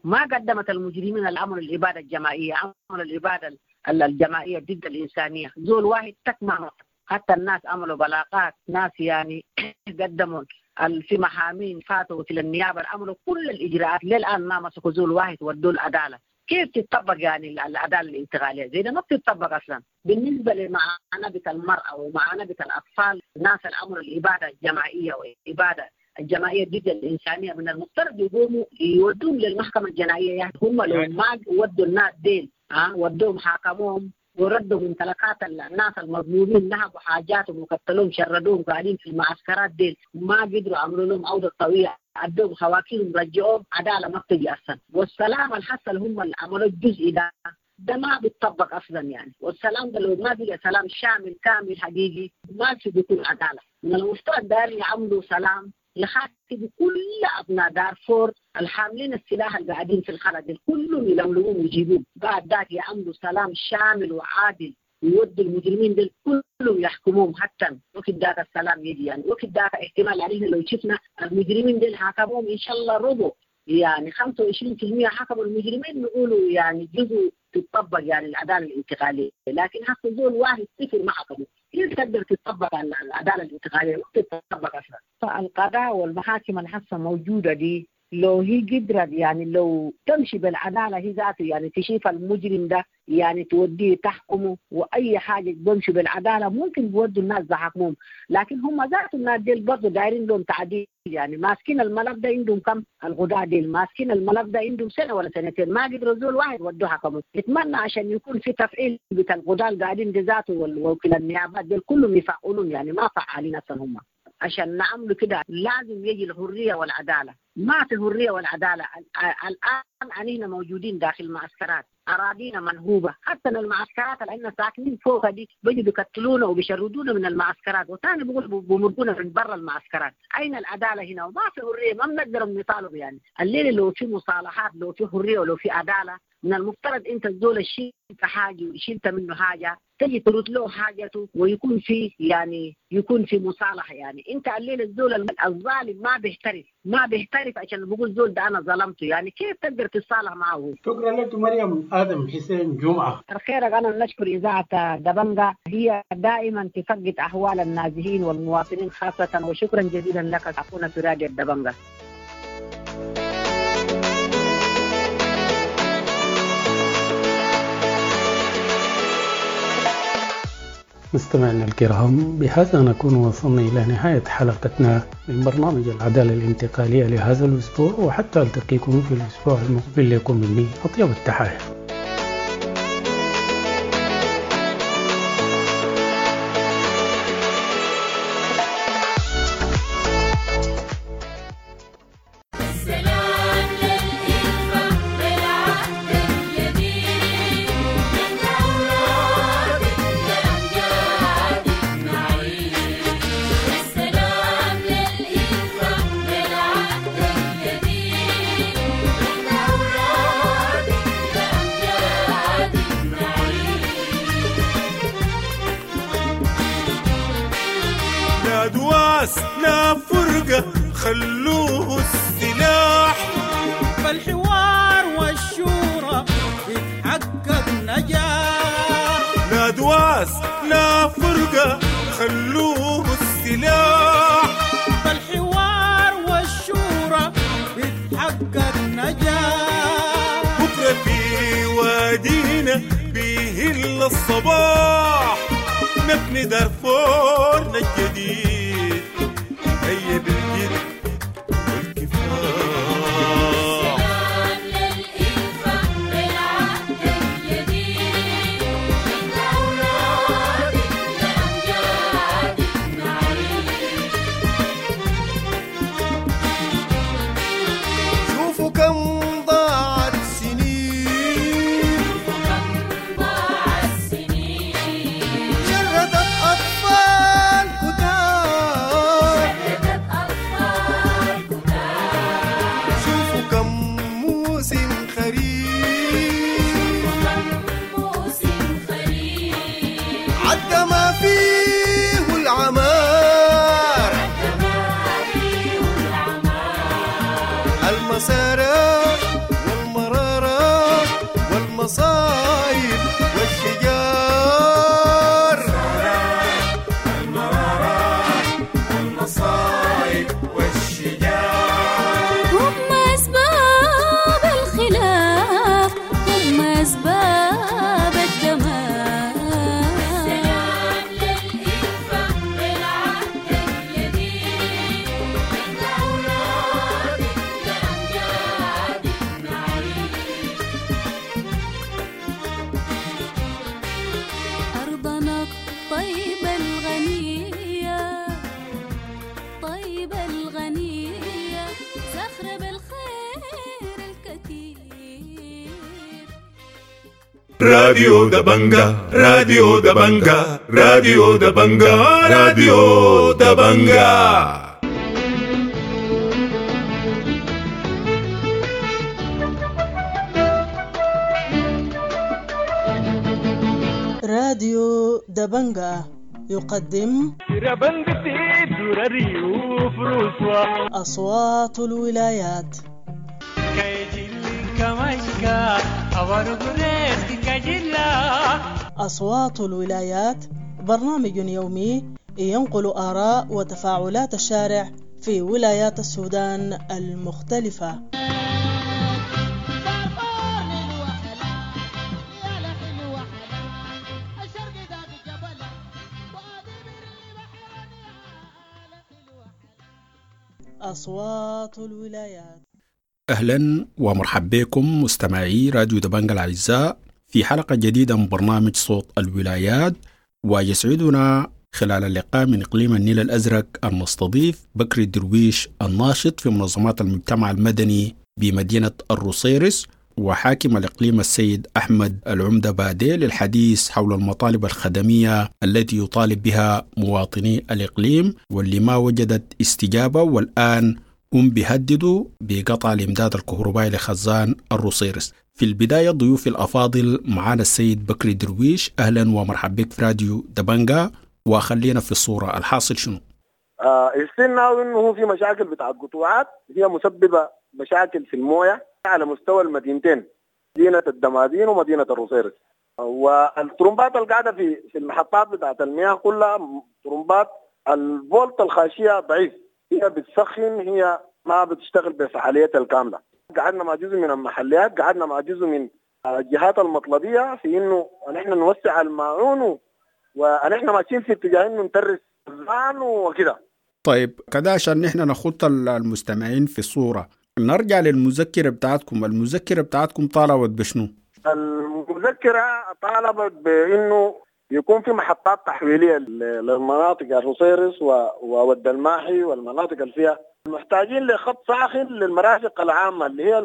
ما قدمت المجرمين اللي عملوا الإبادة الجماعية، عملوا الإبادة الجماعية ضد الإنسانية، زول واحد تكمع. حتى الناس عملوا بلاغات، ناس يعني قدموا في محامين فاتوا وكيل النيابة عملوا كل الاجراءات للان ما مسكوا زول واحد ودوا العدالة. كيف تتطبق يعني العدالة الانتقالية زي ده؟ ما بتتطبق اصلا. بالنسبة لمعاناة المراة ومعاناة الاطفال، ناس الامر الابادة الجماعية والاباده الجماعية ضد الانسانية من المفترض يقوموا يودوهم للمحكمة الجنائية. يعني هم لو ما ودوا الناس ديل ها ودوهم حاكموهم وردوا ممتلكات الناس المظلومين، نهبوا حاجاتهم وقتلوهم شردوهم قاعدين في المعسكرات ديل، ما قدروا عملوا لهم عوده طويلة، ادوهم خواكيرهم رجعوهم، عدالة ما بتجي اصلا. والسلام اللي حصل هم اللي عملوا الجزء ده ده ما بيتطبق اصلا يعني. والسلام ده لو ما بقى سلام شامل كامل حقيقي ما في بيكون عدالة. من المفترض داير يعملوا سلام يخاطب كل ابناء دارفور الحاملين السلاح اللي قاعدين في الخلد كلهم يلملموهم ويجيبوهم، بعد ذاك يعملوا سلام شامل وعادل ويودوا المجرمين دول كلهم يحكموهم حتى وقت ذاك السلام يجي يعني. وقت ذاك احتمال علينا لو شفنا المجرمين دول حاكموهم ان شاء الله ربع يعني خمسة وعشرين بالمئة حكموا المجرمين نقولوا يعني جزء تطبق يعني العدالة الانتقالية، لكن حتى زول واحد صفر ما حكموا، كيف تقدر تطبق العدالة الانتقالية؟ ما تطبق اصلا. فالقضاء والمحاكم الحاسة موجودة دي لو هي قدرت يعني لو تمشي بالعدالة هي ذاته يعني تشوف المجرم ده يعني توديه تحكمه واي حاجة بمشي بالعدالة ممكن بيودوا الناس بحكمهم، لكن هم ذات الناس ديل برضه دايرين لهم تعديل يعني. ماسكين الملف ده عندهم كم الغداء ديل ماسكين الملف ده عندهم سنة ولا سنتين ما قدروا زول واحد ودوه حكمه. اتمنى عشان يكون في تفعيل بتاع الغداء اللي قاعدين دي ذاته ووكيل النيابات ديل كلهم يفعلون يعني ما فعالين اصلا هم. عشان نعملوا كده لازم يجي الحرية والعدالة. ما في الحرية والعدالة الان علينا موجودين داخل المعسكرات، اراضينا منهوبه، حتى المعسكرات اللي احنا ساكنين فوقها دي بيجوا بيقتلونا وبيشردونا من المعسكرات، وثاني بيقولوا بمرقونا من برا المعسكرات. اين العدالة هنا؟ وما في حرية، ما بنقدر نطالب يعني. الليلة لو في مصالحات لو في حرية ولو في عدالة من المفترض انت الزول شلت حاجة وشلت منه حاجة تجي ترد له حاجته ويكون في يعني يكون في مصالحه يعني. انت الليلة الزول الظالم ما بيحترف ما بيحترف عشان بقول زول ده انا ظلمته يعني، كيف تقدر تتصالح معه؟ شكرا لك مريم ادم حسين جمعه. الخير. انا نشكر اذاعة دبنجا، هي دائما تفقد احوال النازحين والمواطنين خاصة، وشكرا جزيلا لك اخونا سراج الدبنجا. مستمعينا الكرام، بهذا نكون وصلنا إلى نهاية حلقتنا من برنامج العدالة الانتقالية لهذا الأسبوع، وحتى ألتقيكم في الأسبوع المقبل لكم مني أطيب التحايا. لا فرقة خلوه السلاح، فالحوار والشورى يتحقق نجاح. لا دواس لا فرقة خلوه السلاح، فالحوار والشورى يتحقق نجاح. بكرة في وادينا بيهل الصباح، نبني دارفورنا الجديد هيا بالجد والكفاح. السلام للإلفة بالعهد الجديد، من أولاد لأمجاد نعيد. شوفوا كم ضاعت سنين، شوفوا كم ضاعت سنين، شردت أطفال كتار، شوفوا كم موسم خريف، موسم خريف عدى ما فيه العمار، عدى ما فيه العمار، المسارات والمرارات والمصايب والشجار، المرارات والمصايب. راديو دبنجا، راديو دبنجا، راديو دبنجا، راديو دبنجا. راديو دبنجا يقدم أصوات الولايات. أصوات الولايات برنامج يومي ينقل آراء وتفاعلات الشارع في ولايات السودان المختلفة. أصوات الولايات. أهلا ومرحبا بكم مستمعي راديو دبنجا الأعزاء في حلقة جديدة من برنامج صوت الولايات، ويسعدنا خلال اللقاء من إقليم النيل الأزرق أن نستضيف بكري الدرويش الناشط في منظمات المجتمع المدني بمدينة الروصيرص، وحاكم الإقليم السيد أحمد العمدة بادي للحديث حول المطالب الخدمية التي يطالب بها مواطني الإقليم واللي ما وجدت استجابة، والآن هم بيهددوا بقطع الإمداد الكهربائي لخزان الروصيرص. في البداية ضيوف الأفاضل معنا السيد بكري درويش، أهلا ومرحبا بك في راديو دبنجا، وخلينا في الصورة الحاصل شنو؟ آه استنى إنه في مشاكل بتاع قطوعات هي مسببة مشاكل في الموية على مستوى المدينتين، مدينة الدمازين ومدينة الروصيرص، والطرمبات القاعدة في في المحطات بتاعت المياه كلها طرمبات الفولت الخاشية ضعيف، هي بتسخن، هي ما بتشتغل بفعاليتها الكاملة. قعدنا مع جزء من المحليات، قعدنا مع جزء من الجهات المطلبية في إنه نحن نوسع الماعون، ونحن ماشيين في اتجاه إنه نترس الزان وكده. طيب كده عشان نحن نخط المستمعين في الصورة، نرجع للمذكرة بتاعتكم. المذكرة بتاعتكم طالبت بشنو؟ المذكرة طالبت بإنه يكون في محطات تحويلية للمناطق الروصيرص وود الماحي والمناطق اللي فيها محتاجين لخط ساخن للمرافق العامة اللي هي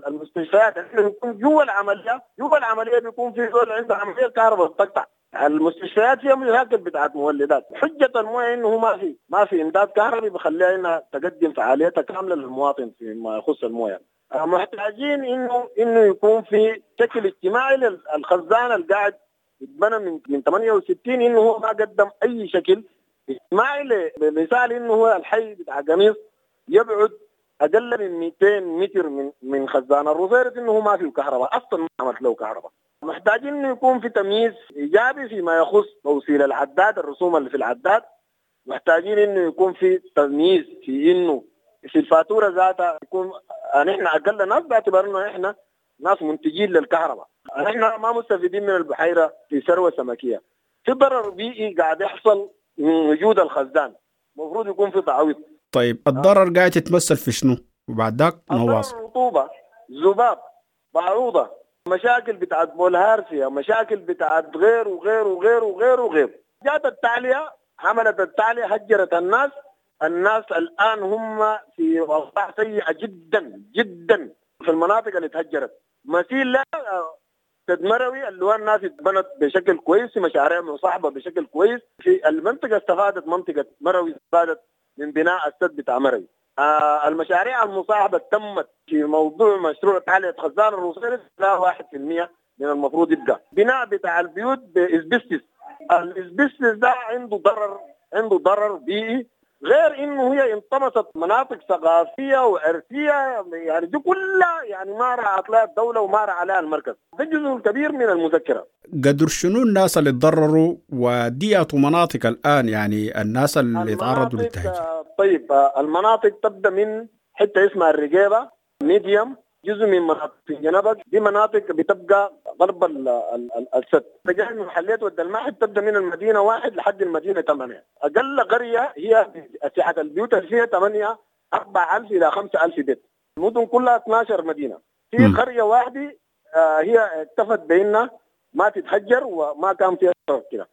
المستشفيات. احنا بيكون جوا العملية، جوا العملية بيكون في زول عنده عملية كهرباء بتقطع. المستشفيات فيها مشاكل بتاعت مولدات، حجة المويه انه ما في ما في امداد كهربي بخليها انها تقدم فعاليتها كاملة للمواطن فيما يخص المويه. محتاجين انه انه يكون في شكل اجتماعي للخزان القاعد يتبنى من من ثمانية وستين، انه هو ما قدم اي شكل اجتماعي. لمثال انه هو الحي بتاع قميص يبعد اقل من مئتين متر من من خزان الروصيرص، انه هو ما فيه كهرباء اصلا، ما عملت له كهرباء. محتاجين انه يكون في تمييز ايجابي فيما يخص توصيل العداد، الرسوم اللي في العداد. محتاجين انه يكون في تمييز في انه في الفاتورة ذاتها يكون نحن اقل ناس باعتبار انه احنا ناس منتجين للكهرباء، نحن ما مستفيدين من البحيرة في ثروة سمكيه. في ضرر بيئي قاعد يحصل من وجود الخزان، المفروض يكون في تعويض. طيب الضرر قاعد يتمثل في شنو؟ وبعد ذاك نواصل. الرطوبة، ذباب، بعوضة، مشاكل بتاعت بولهارسيا، مشاكل بتاعت غير وغير وغير وغير وغير. جات التعلية، عملت التعلية، هجرت الناس. الناس الآن هم في وضع سيئة جدا جدا في المناطق اللي تهجرت. مثيل لا تدمروي اللي هو الناس اتبنت بشكل كويس، مشاريع مصاحبة بشكل كويس في المنطقة، استفادت منطقة مروي، استفادت من بناء السد بتاع مروي. آه المشاريع المصاحبة تمت في موضوع مشروع تعلية خزان الروصيرص لا واحد في المية من المفروض يبقى. بناء بتاع البيوت بإسبستس، الإسبستس ده عنده ضرر، عنده ضرر بيئي، غير انه هي انطمست مناطق ثقافية وارثيه، يعني دي كلها يعني ما رعت لها الدولة وما رعى لها المركز. ده جزء كبير من المذكرة. قدر شنو الناس اللي تضرروا وديات مناطق الان، يعني الناس اللي تعرضوا للتهجير؟ طيب المناطق تبدا من حتة اسمها الرقيبه، ميديوم، جزء من مناطق جنبك، دي مناطق بتبقى غرب السد. تجاه محليات ود الماحي بتبدا من المدينة واحد لحد المدينة ثمانية. اقل قرية هي سعة البيوت اللي فيها ثمانية أربعة ألف الى خمسة ألف بيت. المدن كلها اثنا عشر مدينة. في م. قرية واحدة آه هي اكتفت بانها ما تتهجر وما كان فيها ضرر كده.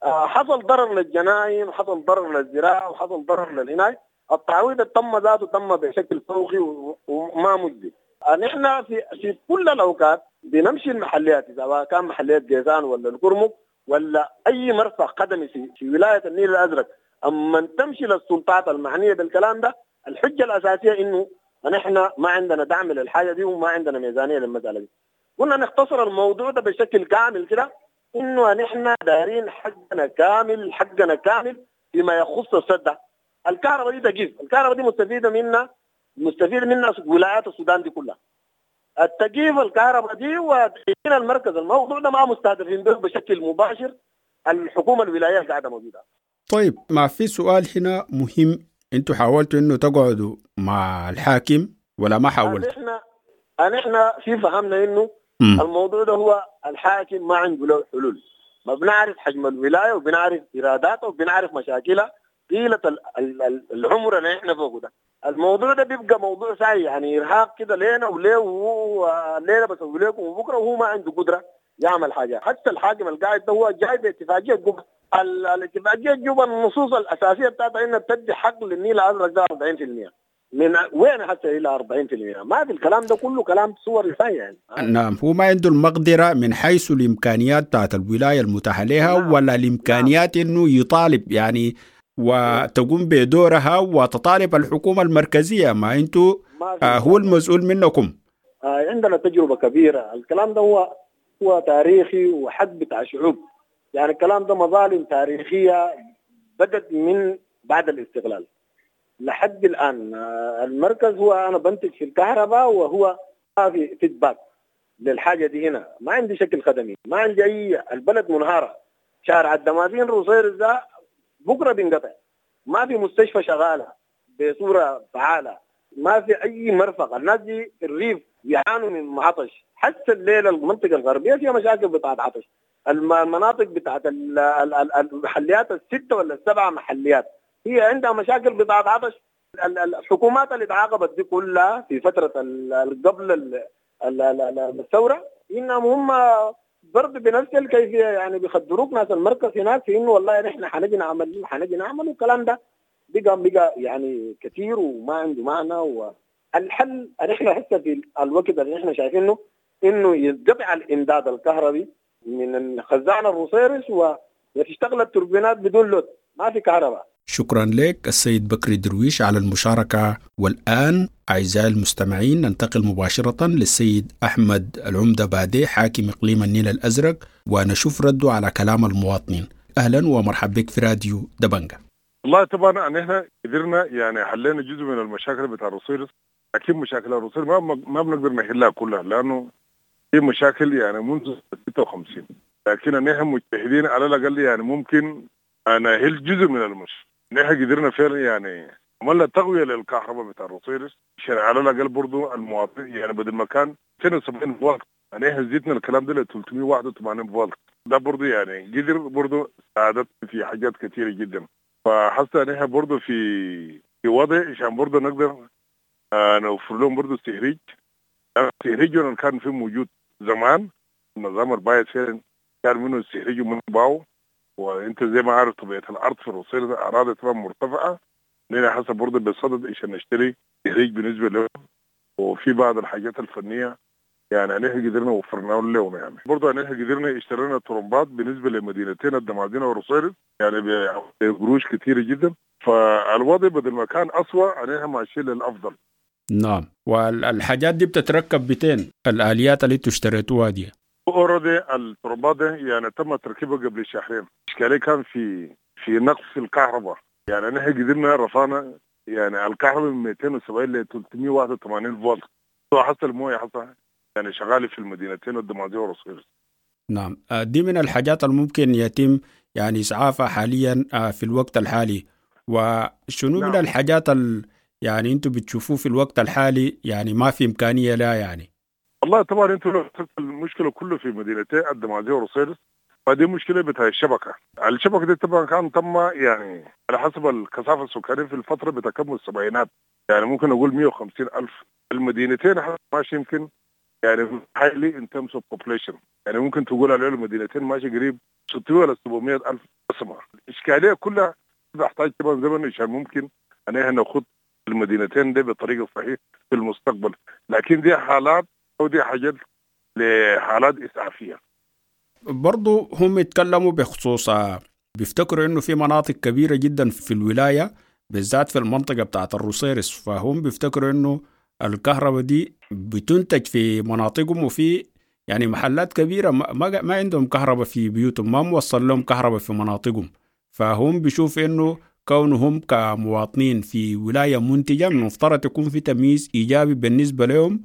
آه حصل ضرر للجناين، وحصل ضرر للزراعة، وحصل ضرر للهناي. التعويض تم ذاته تم بشكل فوقي وما مجدي. نحن في في كل الاوقات بنمشي المحليات، اذا كان محليات جيزان ولا الكرمك ولا اي مرفق خدمي في في ولاية النيل الازرق، اما تمشي للسلطات المعنية بالكلام ده، الحجة الاساسية انه نحن ما عندنا دعم للحاجة دي وما عندنا ميزانية للمسالة دي. قلنا نختصر الموضوع ده بشكل كامل كده، انه نحن دايرين حقنا كامل، حقنا كامل فيما يخص السد ده. الكهرباء دي تقيف، الكهرباء دي مستفيدة منا، مستفيد منها ولايات السودان دي كلها. التقييف الكهرباء دي وتقييم المركز، الموضوع ده ما مستهدفين به بشكل مباشر الحكومة الولاية قاعدة موجودة. طيب، ما في سؤال هنا مهم، انتوا حاولتوا انه تقعدوا مع الحاكم ولا ما حاولتوا؟ احنا احنا في فهمنا انه م. الموضوع ده هو الحاكم ما عنده له حلول، ما بنعرف حجم الولاية وبنعرف ايراداتها وبنعرف مشاكلها طيلة العمر اللي احنا فوقه ده. الموضوع ده بيبقى موضوع ساي، يعني ارهاق كده لينا وليه وهو ليلة بسوي لكم وبكره، وهو ما عنده قدره يعمل حاجة. حتى الحاكم القاعد ده هو جاي باتفاقيه جوبا، الاتفاقية جوبا النصوص الاساسية بتاعتها انها بتدي حق للنيل الازرق ده أربعين بالمئة، من وين حتى الى أربعين بالمئة؟ ما في الكلام ده كله كلام صور ساي يعني. نعم، هو ما عنده المقدرة من حيث الامكانيات بتاعت الولاية المتاحة لها. نعم. ولا الامكانيات. نعم. انه يطالب يعني وتقوم بدورها وتطالب الحكومة المركزية، ما انتوا آه هو المسؤول منكم. آه عندنا تجربة كبيرة، الكلام ده هو هو تاريخي وحق بتاع شعوب، يعني الكلام ده مظالم تاريخية بدت من بعد الاستقلال لحد الآن. آه المركز هو أنا بنتج في الكهرباء وهو ما في فيدباك للحاجة دي هنا، ما عندي شكل خدمي، ما عندي أي، البلد منهارة، شارع الدمازين روصيرص ده بكره بينقطع، ما في مستشفى شغالة بصورة فعاله، ما في اي مرفق، الناس دي في الريف يعانوا من عطش، حتى الليلة المنطقة الغربية فيها مشاكل بتاعت عطش، المناطق بتاعت المحليات الستة ولا السبعة محليات هي عندها مشاكل بتاعت عطش. الحكومات اللي تعاقبت دي كلها في فترة قبل الثورة انهم هم برضه بنفس الكيفية، يعني بيخدروك ناس المركز هناك في انه والله نحن حنجي نعمل حنجي نعمل، والكلام ده بقى بقى يعني كثير وما عنده معنى. والحل نحن حتى في الوقت اللي نحن شايفينه انه يتقطع الامداد الكهربي من الخزان الروصيرص وتشتغل التوربينات بدون لود، ما في كهرباء. شكرا لك السيد بكري درويش على المشاركة. والآن أعزائي المستمعين ننتقل مباشرة للسيد أحمد العمدة بادي حاكم إقليم النيل الأزرق ونشوف رده على كلام المواطنين. أهلا ومرحبا بك في راديو دبنجة. والله طبعا أن احنا قدرنا يعني حلينا جزء من المشاكل بتاع الروصيرص، أكيد مشاكل الروصيرص ما ما بنقدر نحلها كلها لأنه في مشاكل يعني منذ ستة وخمسين، لكن ان احنا مجتهدين على الأقل يعني ممكن نحل جزء من المشكلة. نحن قدرنا فعلا يعني عملنا تقوية للكهرباء بتاع الروصيرص عشان على الأقل برضو المواطن يعني بدل ما كان اثنين وسبعين فولت يعني احنا زدنا الكلام ده ل ثلاثمية وواحد وثمانين فولت، ده برضو يعني قدر برضو ساعدت في حاجات كثيرة جدا. فحتى نحن برضو في في وضع عشان برضو نقدر نوفر لهم برضو التهريج. التهريج كان في موجود زمان النظام البايت فعلا كان منه التهريج ومنه باو، وانت زي ما عارف طبيعة الارض في الروصيرص اراضي طبعا مرتفعة، لنا حسب برضه بصدد عشان نشتري تهريج بالنسبة لهم، وفي بعض الحاجات الفنية يعني نحن قدرنا وفرناها لهم. يعني برضه نحن قدرنا اشترينا طرمبات بالنسبة لمدينتين الدمازين والروصيرص يعني بقروش كثيرة جدا. فالوضع بدل ما كان اسوء نحن ماشيين للافضل. نعم، والحاجات دي بتتركب بتين الاليات اللي اشتريتوها دي؟ already الترمبات يعني تم تركيبها قبل شهرين. اشكالية كان في في نقص في الكهرباء، يعني نحن قدرنا رفعنا يعني الكهرباء من مئتين وسبعين ل ثلاثمية وواحد وثمانين فولت، حصل المويه حصل يعني شغالة في المدينتين الدمازين والروصيرص. نعم، دي من الحاجات الممكن يتم يعني اسعافها حاليا في الوقت الحالي. وشنو نعم. من الحاجات ال يعني انتم بتشوفوه في الوقت الحالي يعني ما في امكانية لا يعني؟ والله طبعا انتوا لو المشكلة كله في مدينتين الدمازين والروصيرص، فدي مشكلة بتاع الشبكة. الشبكة دي طبعا كان تم يعني على حسب الكثافة السكانية في الفترة بتكمل السبعينات، يعني ممكن اقول مئة وخمسين ألف. المدينتين ماشي يمكن يعني highly in terms of population، يعني ممكن تقول على المدينتين ماشي قريب ستمية ولا سبعمية ألف نسمة. الاشكالية كلها بحتاج طبعا زمن عشان ممكن ان احنا ناخد المدينتين دي بطريقة صحيحه في المستقبل. لكن دي حالات او دي حاجات لحالات اسعافيه. برضو هم يتكلموا بخصوص بيفتكروا انه في مناطق كبيرة جدا في الولاية بالذات في المنطقة بتاعت الروسيرس، فهم بيفتكروا انه الكهرباء دي بتنتج في مناطقهم وفي يعني محلات كبيرة ما, ما عندهم كهرباء في بيوتهم، ما موصل لهم كهرباء في مناطقهم. فهم بيشوف انه كونهم كمواطنين في ولاية منتجة من المفترض يكون في تمييز إيجابي بالنسبة لهم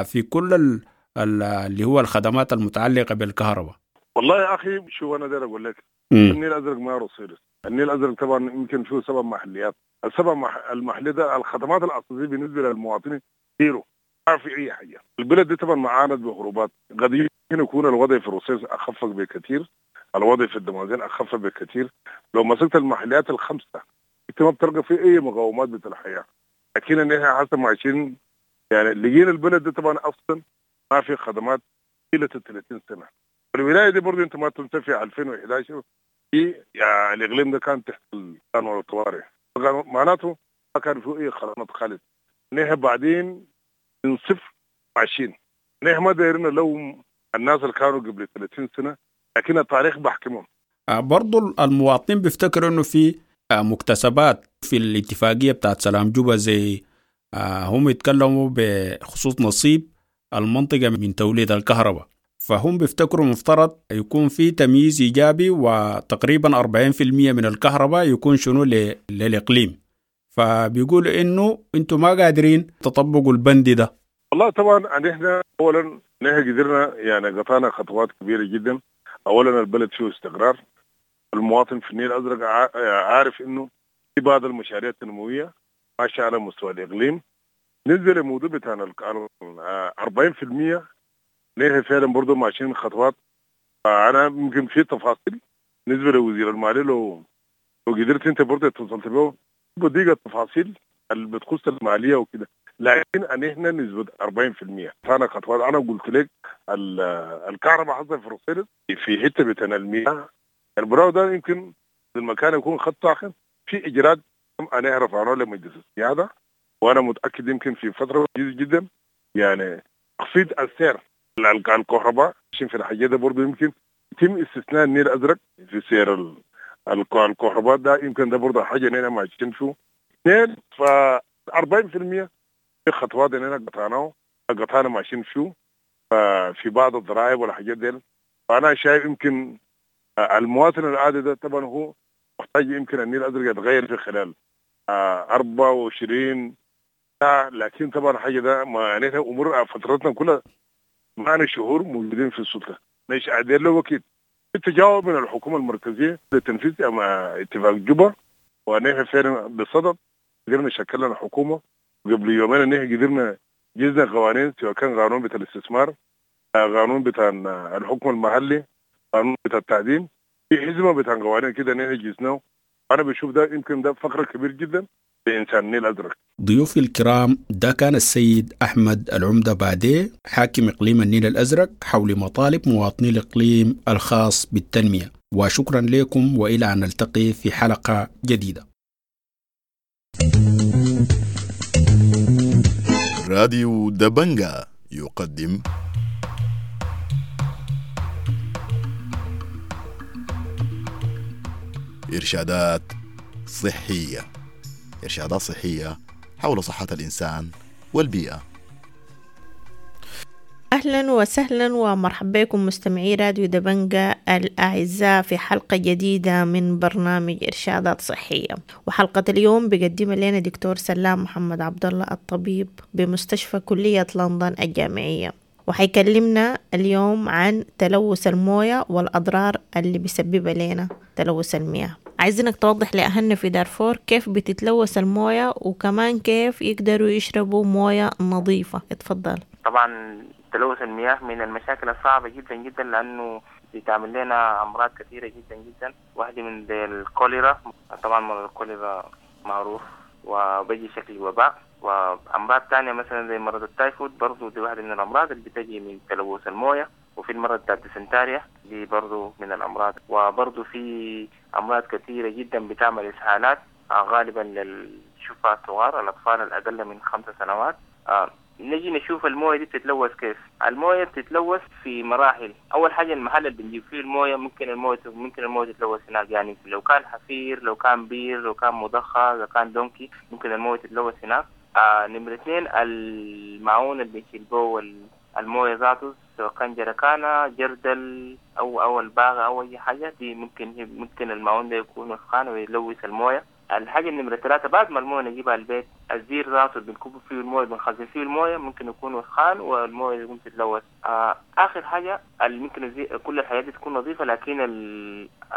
في كل اللي هو الخدمات المتعلقة بالكهرباء. والله يا أخي شو أنا داير أقول لك، النيل الأزرق ما روسيرس. النيل الأزرق طبعا يمكن فيه سبب محليات، السبب المحلي ده الخدمات الأساسية بالنسبة للمواطنين zero، ما في أي حاجة. البلد دي طبعا معاند بهروبات، قد يمكن يكون الوضع في روسيرس أخف بكثير، الوضع في الدمازين أخف بكثير. لو مسكت المحليات الخمسة أنت ما بتلقى في أي مقاومات بتاع الحياة. لكن إن إحنا حسب عايشين يعني لقينا البلد دي طبعا أصلا ما في خدمات طيلة ثلاثين سنة. الولاية دي برضه أنت ما تنسى في ألفين وإحدى عشر في يعني الإقليم ده كان تحت القانون الطوارئ، معناته ما كان فيه أي خدمات خالص. نحن بعدين من صفر عايشين، نحن ما دايرين لو الناس اللي كانوا قبل ثلاثين سنة، لكن التاريخ بحكمهم. برضو المواطنين بيفتكروا انه في مكتسبات في الاتفاقية بتاعت سلام جوبا، زي هم يتكلموا بخصوص نصيب المنطقة من توليد الكهرباء، فهم بيفتكروا مفترض يكون في تمييز إيجابي وتقريبا أربعين بالمئة من الكهرباء يكون شنو للإقليم، فبيقولوا إنه أنتم ما قادرين تطبقوا البند ده. والله طبعا نحن أولا نحن قدرنا يعني قطعنا خطوات كبيرة جدا. أولا البلد فيه استقرار، المواطن في النيل الأزرق عارف إنه في بعض المشاريع التنموية ماشية على مستوى الإقليم. نزل الموضوع بتاعنا أربعين بالمئة نحن فعلا برضه ماشيين خطوات. أنا يمكن في تفاصيل بالنسبة لوزير المالية لو لو قدرت أنت برضه اتصلت به بديك التفاصيل اللي بتخص المالية وكده، لكن أن إحنا نسبة أربعين بالمئة أنا خطوات. أنا قلت لك الكهرباء حصل في روسيرس في حتة بتاع المياه البراو ده يمكن المكان يكون خط ساخن في إجراءات أنا رفعناه لمجلس السيادة، وأنا متأكد يمكن في فترة جدا يعني تخفيض السعر الكهرباء عشان في الحاجة ده برضه يمكن يتم استثناء النيل الأزرق في سعر الكهرباء ده، يمكن ده برضه حاجة إننا ماشيين فيه. اثنين ف أربعين بالمئة في خطوات إننا قطعناه قطعنا ماشيين فيه في بعض الضرائب والحاجات دي. فأنا شايف يمكن المواطن العادي ده طبعا هو محتاج يمكن النيل الأزرق يتغير في خلال أربعة وعشرين ساعة، لكن طبعا حاجة ده ما يعني أمور فترتنا كلها معنا شهور موجودين في السلطة مش قادر له وقت. التجاوب من الحكومة المركزية لتنفيذ اتفاق جوبا، ونحن فعلا بصدد قدرنا شكلنا الحكومة قبل يومين، نحن قدرنا جزنا قوانين سواء كان قانون بتاع الاستثمار، قانون بتاع الحكم المحلي، قانون بتاع التعدين، في حزمة بتاع قوانين كده نحن جزناه. أنا بشوف ده يمكن ده فقرة كبير جدا لإنسان النيل الأزرق. ضيوفي الكرام، ده كان السيد أحمد العمدة بادي حاكم إقليم النيل الأزرق حول مطالب مواطني الإقليم الخاص بالتنمية، وشكرا لكم وإلى أن نلتقي في حلقة جديدة. راديو دبنجا يقدم إرشادات صحية، إرشادات صحية حول صحة الإنسان والبيئة. أهلا وسهلا ومرحبا بكم مستمعي راديو دبنجا الأعزاء في حلقة جديدة من برنامج إرشادات صحية. وحلقة اليوم بيقدمها لنا دكتور سلام محمد عبد الله الطبيب بمستشفى كلية لندن الجامعية، وحيكلمنا اليوم عن تلوث الموية والأضرار اللي بيسببها لنا تلوث المياه. عايزينك توضح لأهلنا في دارفور كيف بتتلوث الموية وكمان كيف يقدروا يشربوا موية نظيفة. اتفضل. طبعا تلوث المياه من المشاكل الصعبة جدا جدا، لأنه بتعمل لنا أمراض كثيرة جدا جدا. واحدة من الكوليرا، طبعا مرض الكوليرا معروف وبيجي شكل وباء، وأمراض تانية مثلا زي مرض التايفود برضو دي واحدة من الأمراض اللي بتجي من تلوث الموية، وفي المرض بتاع الديسنتاريا دي برضو من الأمراض، وبرضو في أمراض كثيرة جدا بتعمل إسهالات غالبا لل الشفع الصغار، الأطفال الأقل من خمسة سنوات. آه نجي نشوف المويه دي بتتلوث كيف. المويه بتتلوث في مراحل. اول حاجة المحل اللي بنجيب فيه المويه ممكن المويه ممكن المويه تتلوث هناك، يعني لو كان حفير، لو كان بير، لو كان مضخه، لو كان donkey، ممكن المويه تتلوث هناك. آه نمرة اثنين المعون اللي بنشيل به المويه ذاته، سواء كان جركانة، جردل او او الباغة او اي حاجة دي، ممكن ممكن المعون ده يكون وسخان ويلوث المويه. الحاجة النمرة ثلاثة بعد ما الموية نجيبها البيت، الزير ذاته اللي بنكب فيه الموية، بنخزن فيه الموية، ممكن يكون وسخان والموية يقوم تتلوث. آه آخر حاجة ممكن كل الحاجات دي تكون نظيفة، لكن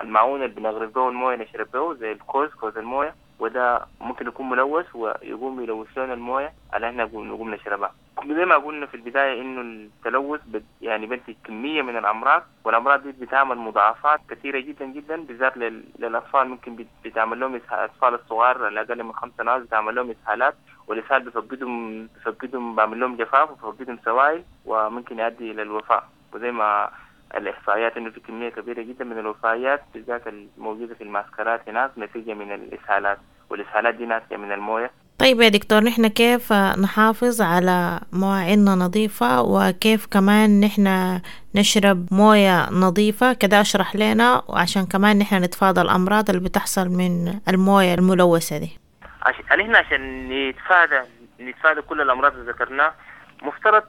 المعون اللي بنغرف به الموية نشرب به زي الكوز، كوز الموية، وده ممكن يكون ملوث ويقوم يلوث لنا الموية على احنا نقوم نشربها. زي ما قلنا في البداية إنه التلوث يعني بنتج كمية من الأمراض، والأمراض دي بتعمل مضاعفات كثيرة جدا جدا، بالذات للأطفال. ممكن بتعمل لهم الأطفال الصغار الأقل من خمس سنوات بتعمل لهم إسهالات، والإسهال بفقدهم بفقدهم بعمل لهم جفاف وبفقدهم سوائل، وممكن يؤدي إلى الوفاة. وزي ما الإحصائيات إنه في كمية كبيرة جدا من الوفيات بالذات الموجودة في المعسكرات هناك نتيجة من الإسهالات، والإسهالات دي ناتجة من الموية. طيب يا دكتور، نحن كيف نحافظ على مواعيننا نظيفة، وكيف كمان نحن نشرب موية نظيفة؟ كده اشرح لنا، وعشان كمان نحن نتفادى الأمراض اللي بتحصل من الموية الملوثة دي. عشان نحن عشان نتفادى نتفادى كل الأمراض اللي ذكرناها، مفترض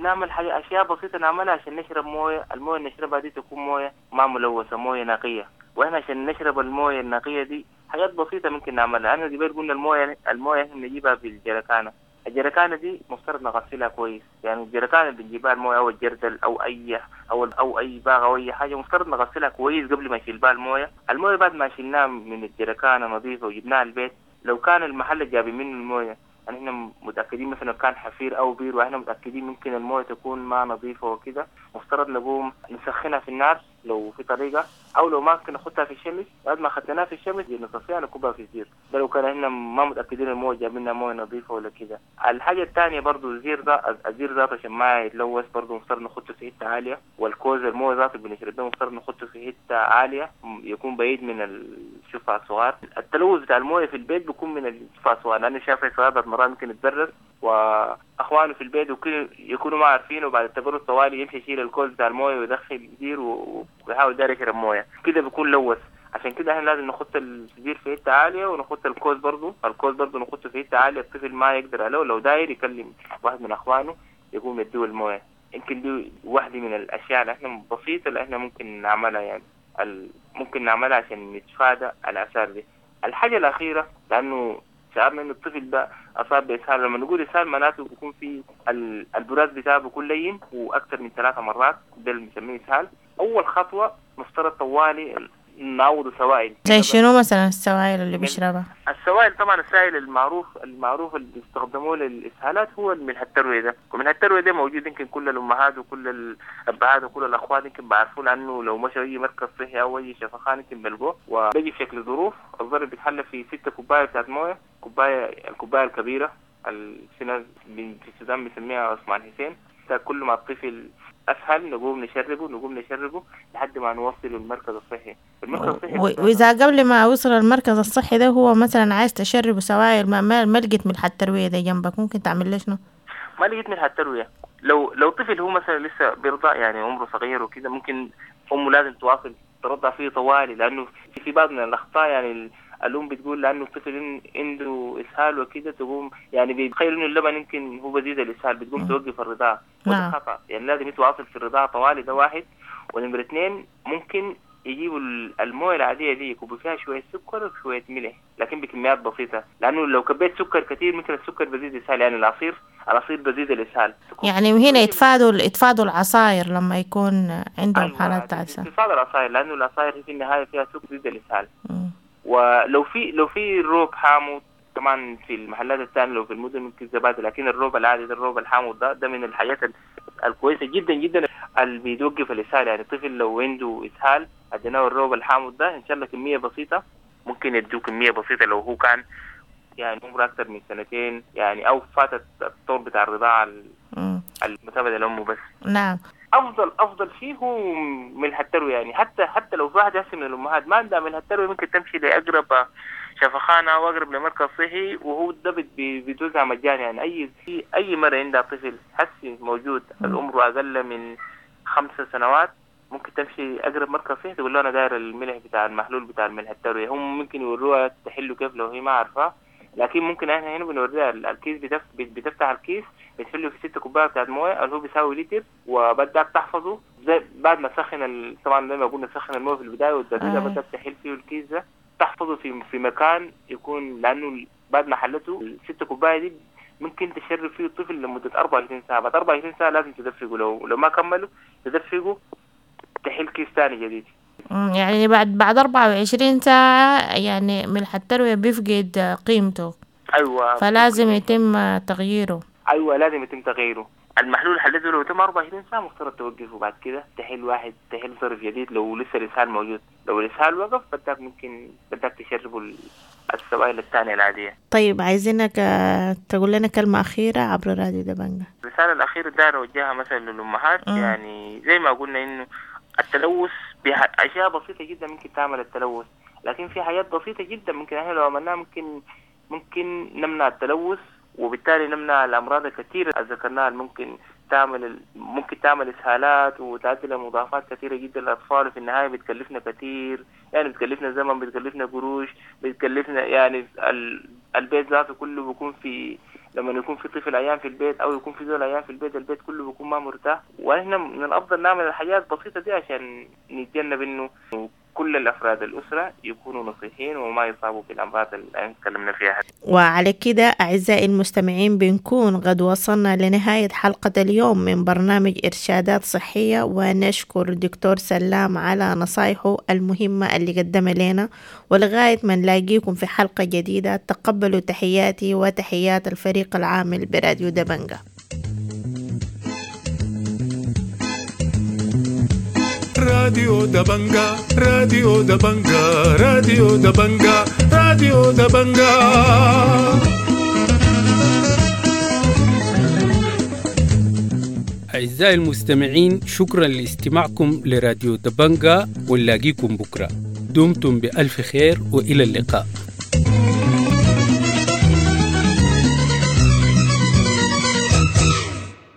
نعمل حاجة أشياء بسيطة نعملها عشان نشرب موية. الموية اللي نشربها دي تكون موية ما ملوثة، موية نقية. وإحنا عشان نشرب الموية النقية دي حاجات بسيطة ممكن نعملها. أنا قبل قلنا الموية الموية إحنا بنجيبها بالجركانة. الجركانة دي مفترض نغسلها كويس، يعني الجركانة اللي بنجيبها الموية أو الجردل أو أي أو أو أي باغة أو أي حاجة مفترض نغسلها كويس قبل ما نشيل بها الموية. الموية بعد ما شلناها من الجركانة نظيفة وجبناها البيت، لو كان المحل اللي جاب منه الموية يعني احنا متأكدين مثلا كان حفير أو بير، واحنا متأكدين ممكن الموية تكون ما نظيفة وكده، مفترض نقوم نسخنها في النار لو في طريقة، أو لو ما ممكن نحطها في الشمس. بعد ما خدناها في الشمس نصفيها نكبها في الزير، ده لو كان احنا ما متأكدين الموية جاب لنا موية نظيفة ولا كده. الحاجة الثانية برضو الزير ده، الزير ذاته عشان ما يتلوث برضو مفترض نحطه في حتة عالية، والكوز الموية ذاته بنشرب به مفترض نحطه في حتة عالية يكون بعيد من الشفع الصغار. التلوث بتاع الموية في البيت بيكون من الشفع الصغار، لأنه شاف الصغار مرات ممكن يتبرد واخوانه في البيت وكل يكونوا ما عارفين، وبعد التبرد طوالي يمشي يشيل الكوز بتاع المويه ويدخل الزير ويحاول داير يشرب مويه كده، بيكون لوث. عشان كده احنا لازم نحط الزير في حتة عالية، ونحط الكوز برضه، الكوز برضه نحطه في حتة عالية الطفل ما يقدر عليه، لو داير يكلم واحد من اخوانه يقوم يديه المويه. يمكن دي واحدة من الاشياء اللي احنا بسيطة اللي احنا ممكن نعملها، يعني ممكن نعملها عشان نتفادى الاثار دي. الحاجة الاخيرة، لانه شعرنا انه الطفل ده اصاب باسهال، لما نقول اسهال معناته بيكون في البراز بتاعه بيكون لين واكثر من ثلاثة مرات، ده اللي بنسميه اسهال. اول خطوة مفترض طوالي نعوض سوائل. زي شنو مثلا السوائل اللي بيشربها؟ السوائل طبعا السائل المعروف المعروف اللي بيستخدموه للاسهالات هو الملح التروية ده، وملح التروية ده موجود يمكن كل الامهات وكل الابهات وكل الاخوات يمكن بعرفوه، لانه لو مشوا اي مركز صحي او اي شفخانه يمكن بلقوه. وبيجي في شكل ظروف، الظرف بيتحلى في ستة كوباية بتاعت مويه، كوباية الكوباية الكبيرة في ناس في السودان بنسميها عثمان حسين. كل ما الطفل اسهل نقوم نشربه نقوم نشربه لحد ما نوصله المركز الصحي. المركز الصحي واذا قبل ما وصل المركز الصحي ده هو مثلا عايز تشربه سوائل ما ما لقيت ملح التروية ده جنبك، ممكن تعمل له شنو؟ ما لقيت ملح التروية، لو لو طفل هو مثلا لسه بيرضع يعني عمره صغير وكده، ممكن امه لازم تواصل ترضع فيه طوالي، لانه في بعض من الاخطاء يعني الأم بتقول لأنه الطفل عنده إسهال وكده تقوم يعني بيتخيل إنه اللبن يمكن هو بزيد الإسهال، بتقوم توقف الرضاعة، وده خطأ. يعني لازم يتواصل في الرضاعة طوالي، ده واحد. ونمرة اثنين ممكن يجيبوا المويه العادية دي يكبوا فيها شوية سكر وشوية ملح، لكن بكميات بسيطة، لأنه لو كبيت سكر كثير ممكن السكر بزيد الإسهال، يعني العصير العصير بزيد الإسهال. يعني وهنا يتفادوا يتفادوا العصاير لما يكون عندهم أيوة حالات إسهال. يتفادوا العصاير لأنه العصاير في النهاية فيها سكر بزيد الإسهال. ولو في لو في روب حامض كمان في المحلات الثانية لو في المدن ممكن زبادي، لكن الروب العادي ده الروب الحامض ده ده من الحاجات الكويسة جدا جدا اللي بيوقف الاسهال. يعني الطفل لو عنده اسهال اديناه الروب الحامض ده ان شاء الله كمية بسيطة، ممكن يدوه كمية بسيطة لو هو كان يعني عمره اكثر من سنتين يعني او فاتت الطور بتاع الرضاعة المتابعة لامه بس. نعم. افضل افضل شيء هو ملح التروية، يعني حتى حتى لو في واحد هسه من الامهات ما عندها ملح التروية ممكن تمشي لاقرب لشفخانه او اقرب لمركز صحي، وهو ده بيتوزع مجاني. يعني اي اي مره عندها طفل حسي موجود العمر اقل من خمس سنوات ممكن تمشي اقرب مركز صحي تقول له انا داير الملح بتاع المحلول بتاع الملح الترويه. هم ممكن يوروها تحله كيف لو هي ما عارفاه، لكن ممكن احنا هنا بنوريها الكيس، بتفتح الكيس بتحله في ست كوبايه بتاعت مويه اللي هو بيساوي لتر، وبدك تحفظه زي بعد ما تسخن ال... طبعا زي ما قلنا تسخن المويه في البدايه والتبريده آه. بدك تحل فيه الكيس ده تحفظه في في مكان يكون، لانه بعد ما حلته الست كوبايه دي ممكن تشرب فيه الطفل لمده أربعة وعشرين ساعه. بعد أربعة وعشرين ساعه لازم تدفقه، لو لو ما كملوا تدفقه تحل كيس ثاني جديد. يعني بعد بعد أربعة وعشرين ساعة يعني ملح التروية بيفقد قيمته. أيوة، فلازم يتم تغييره. أيوة لازم يتم تغييره. المحلول حلته لو تم أربعة وعشرين ساعة مفترض توقفه، بعد كده تحل واحد تحل ظرف جديد لو لسه الإسهال موجود. لو الإسهال وقف بدك ممكن بدك تشربه السوائل الثانية العادية. طيب عايزينك تقول لنا كلمة أخيرة عبر راديو دبنجة. الرسالة الأخيرة داير أوجهها مثلا للأمهات، يعني زي ما قلنا إنه التلوث بأشياء بسيطة جدا ممكن تعمل التلوث، لكن في حاجات بسيطة جدا ممكن احنا لو عملناها ممكن ممكن نمنع التلوث، وبالتالي نمنع الأمراض الكثيرة اللي ذكرناها ممكن تعمل ممكن تعمل إسهالات وتؤدي لمضاعفات كثيرة جدا للأطفال، وفي النهاية بتكلفنا كثير، يعني بتكلفنا زمن، بتكلفنا قروش، بتكلفنا يعني البيت ذاته كله بيكون في، لما يكون في طفل عيان في البيت او يكون في زول عيان في البيت، البيت كله بيكون ما مرتاح. واحنا من الافضل نعمل الحاجات البسيطه دي عشان نتجنب انه كل الافراد الاسره يكونوا نصيحين وما يصابوا بالامراض اللي تكلمنا فيها. وعلى كده اعزائي المستمعين بنكون قد وصلنا لنهايه حلقه اليوم من برنامج ارشادات صحيه، ونشكر دكتور سلام على نصايحه المهمه اللي قدمها لنا، ولغايه ما نلاقيكم في حلقه جديده تقبلوا تحياتي وتحيات الفريق العامل براديو دبنجة. راديو دبنجة، راديو دبنجة، راديو دبنجة، راديو دبنجة. أعزائي المستمعين، شكرا لاستماعكم لراديو دبنجة، ونلاقيكم بكرة. دمتم بألف خير وإلى اللقاء.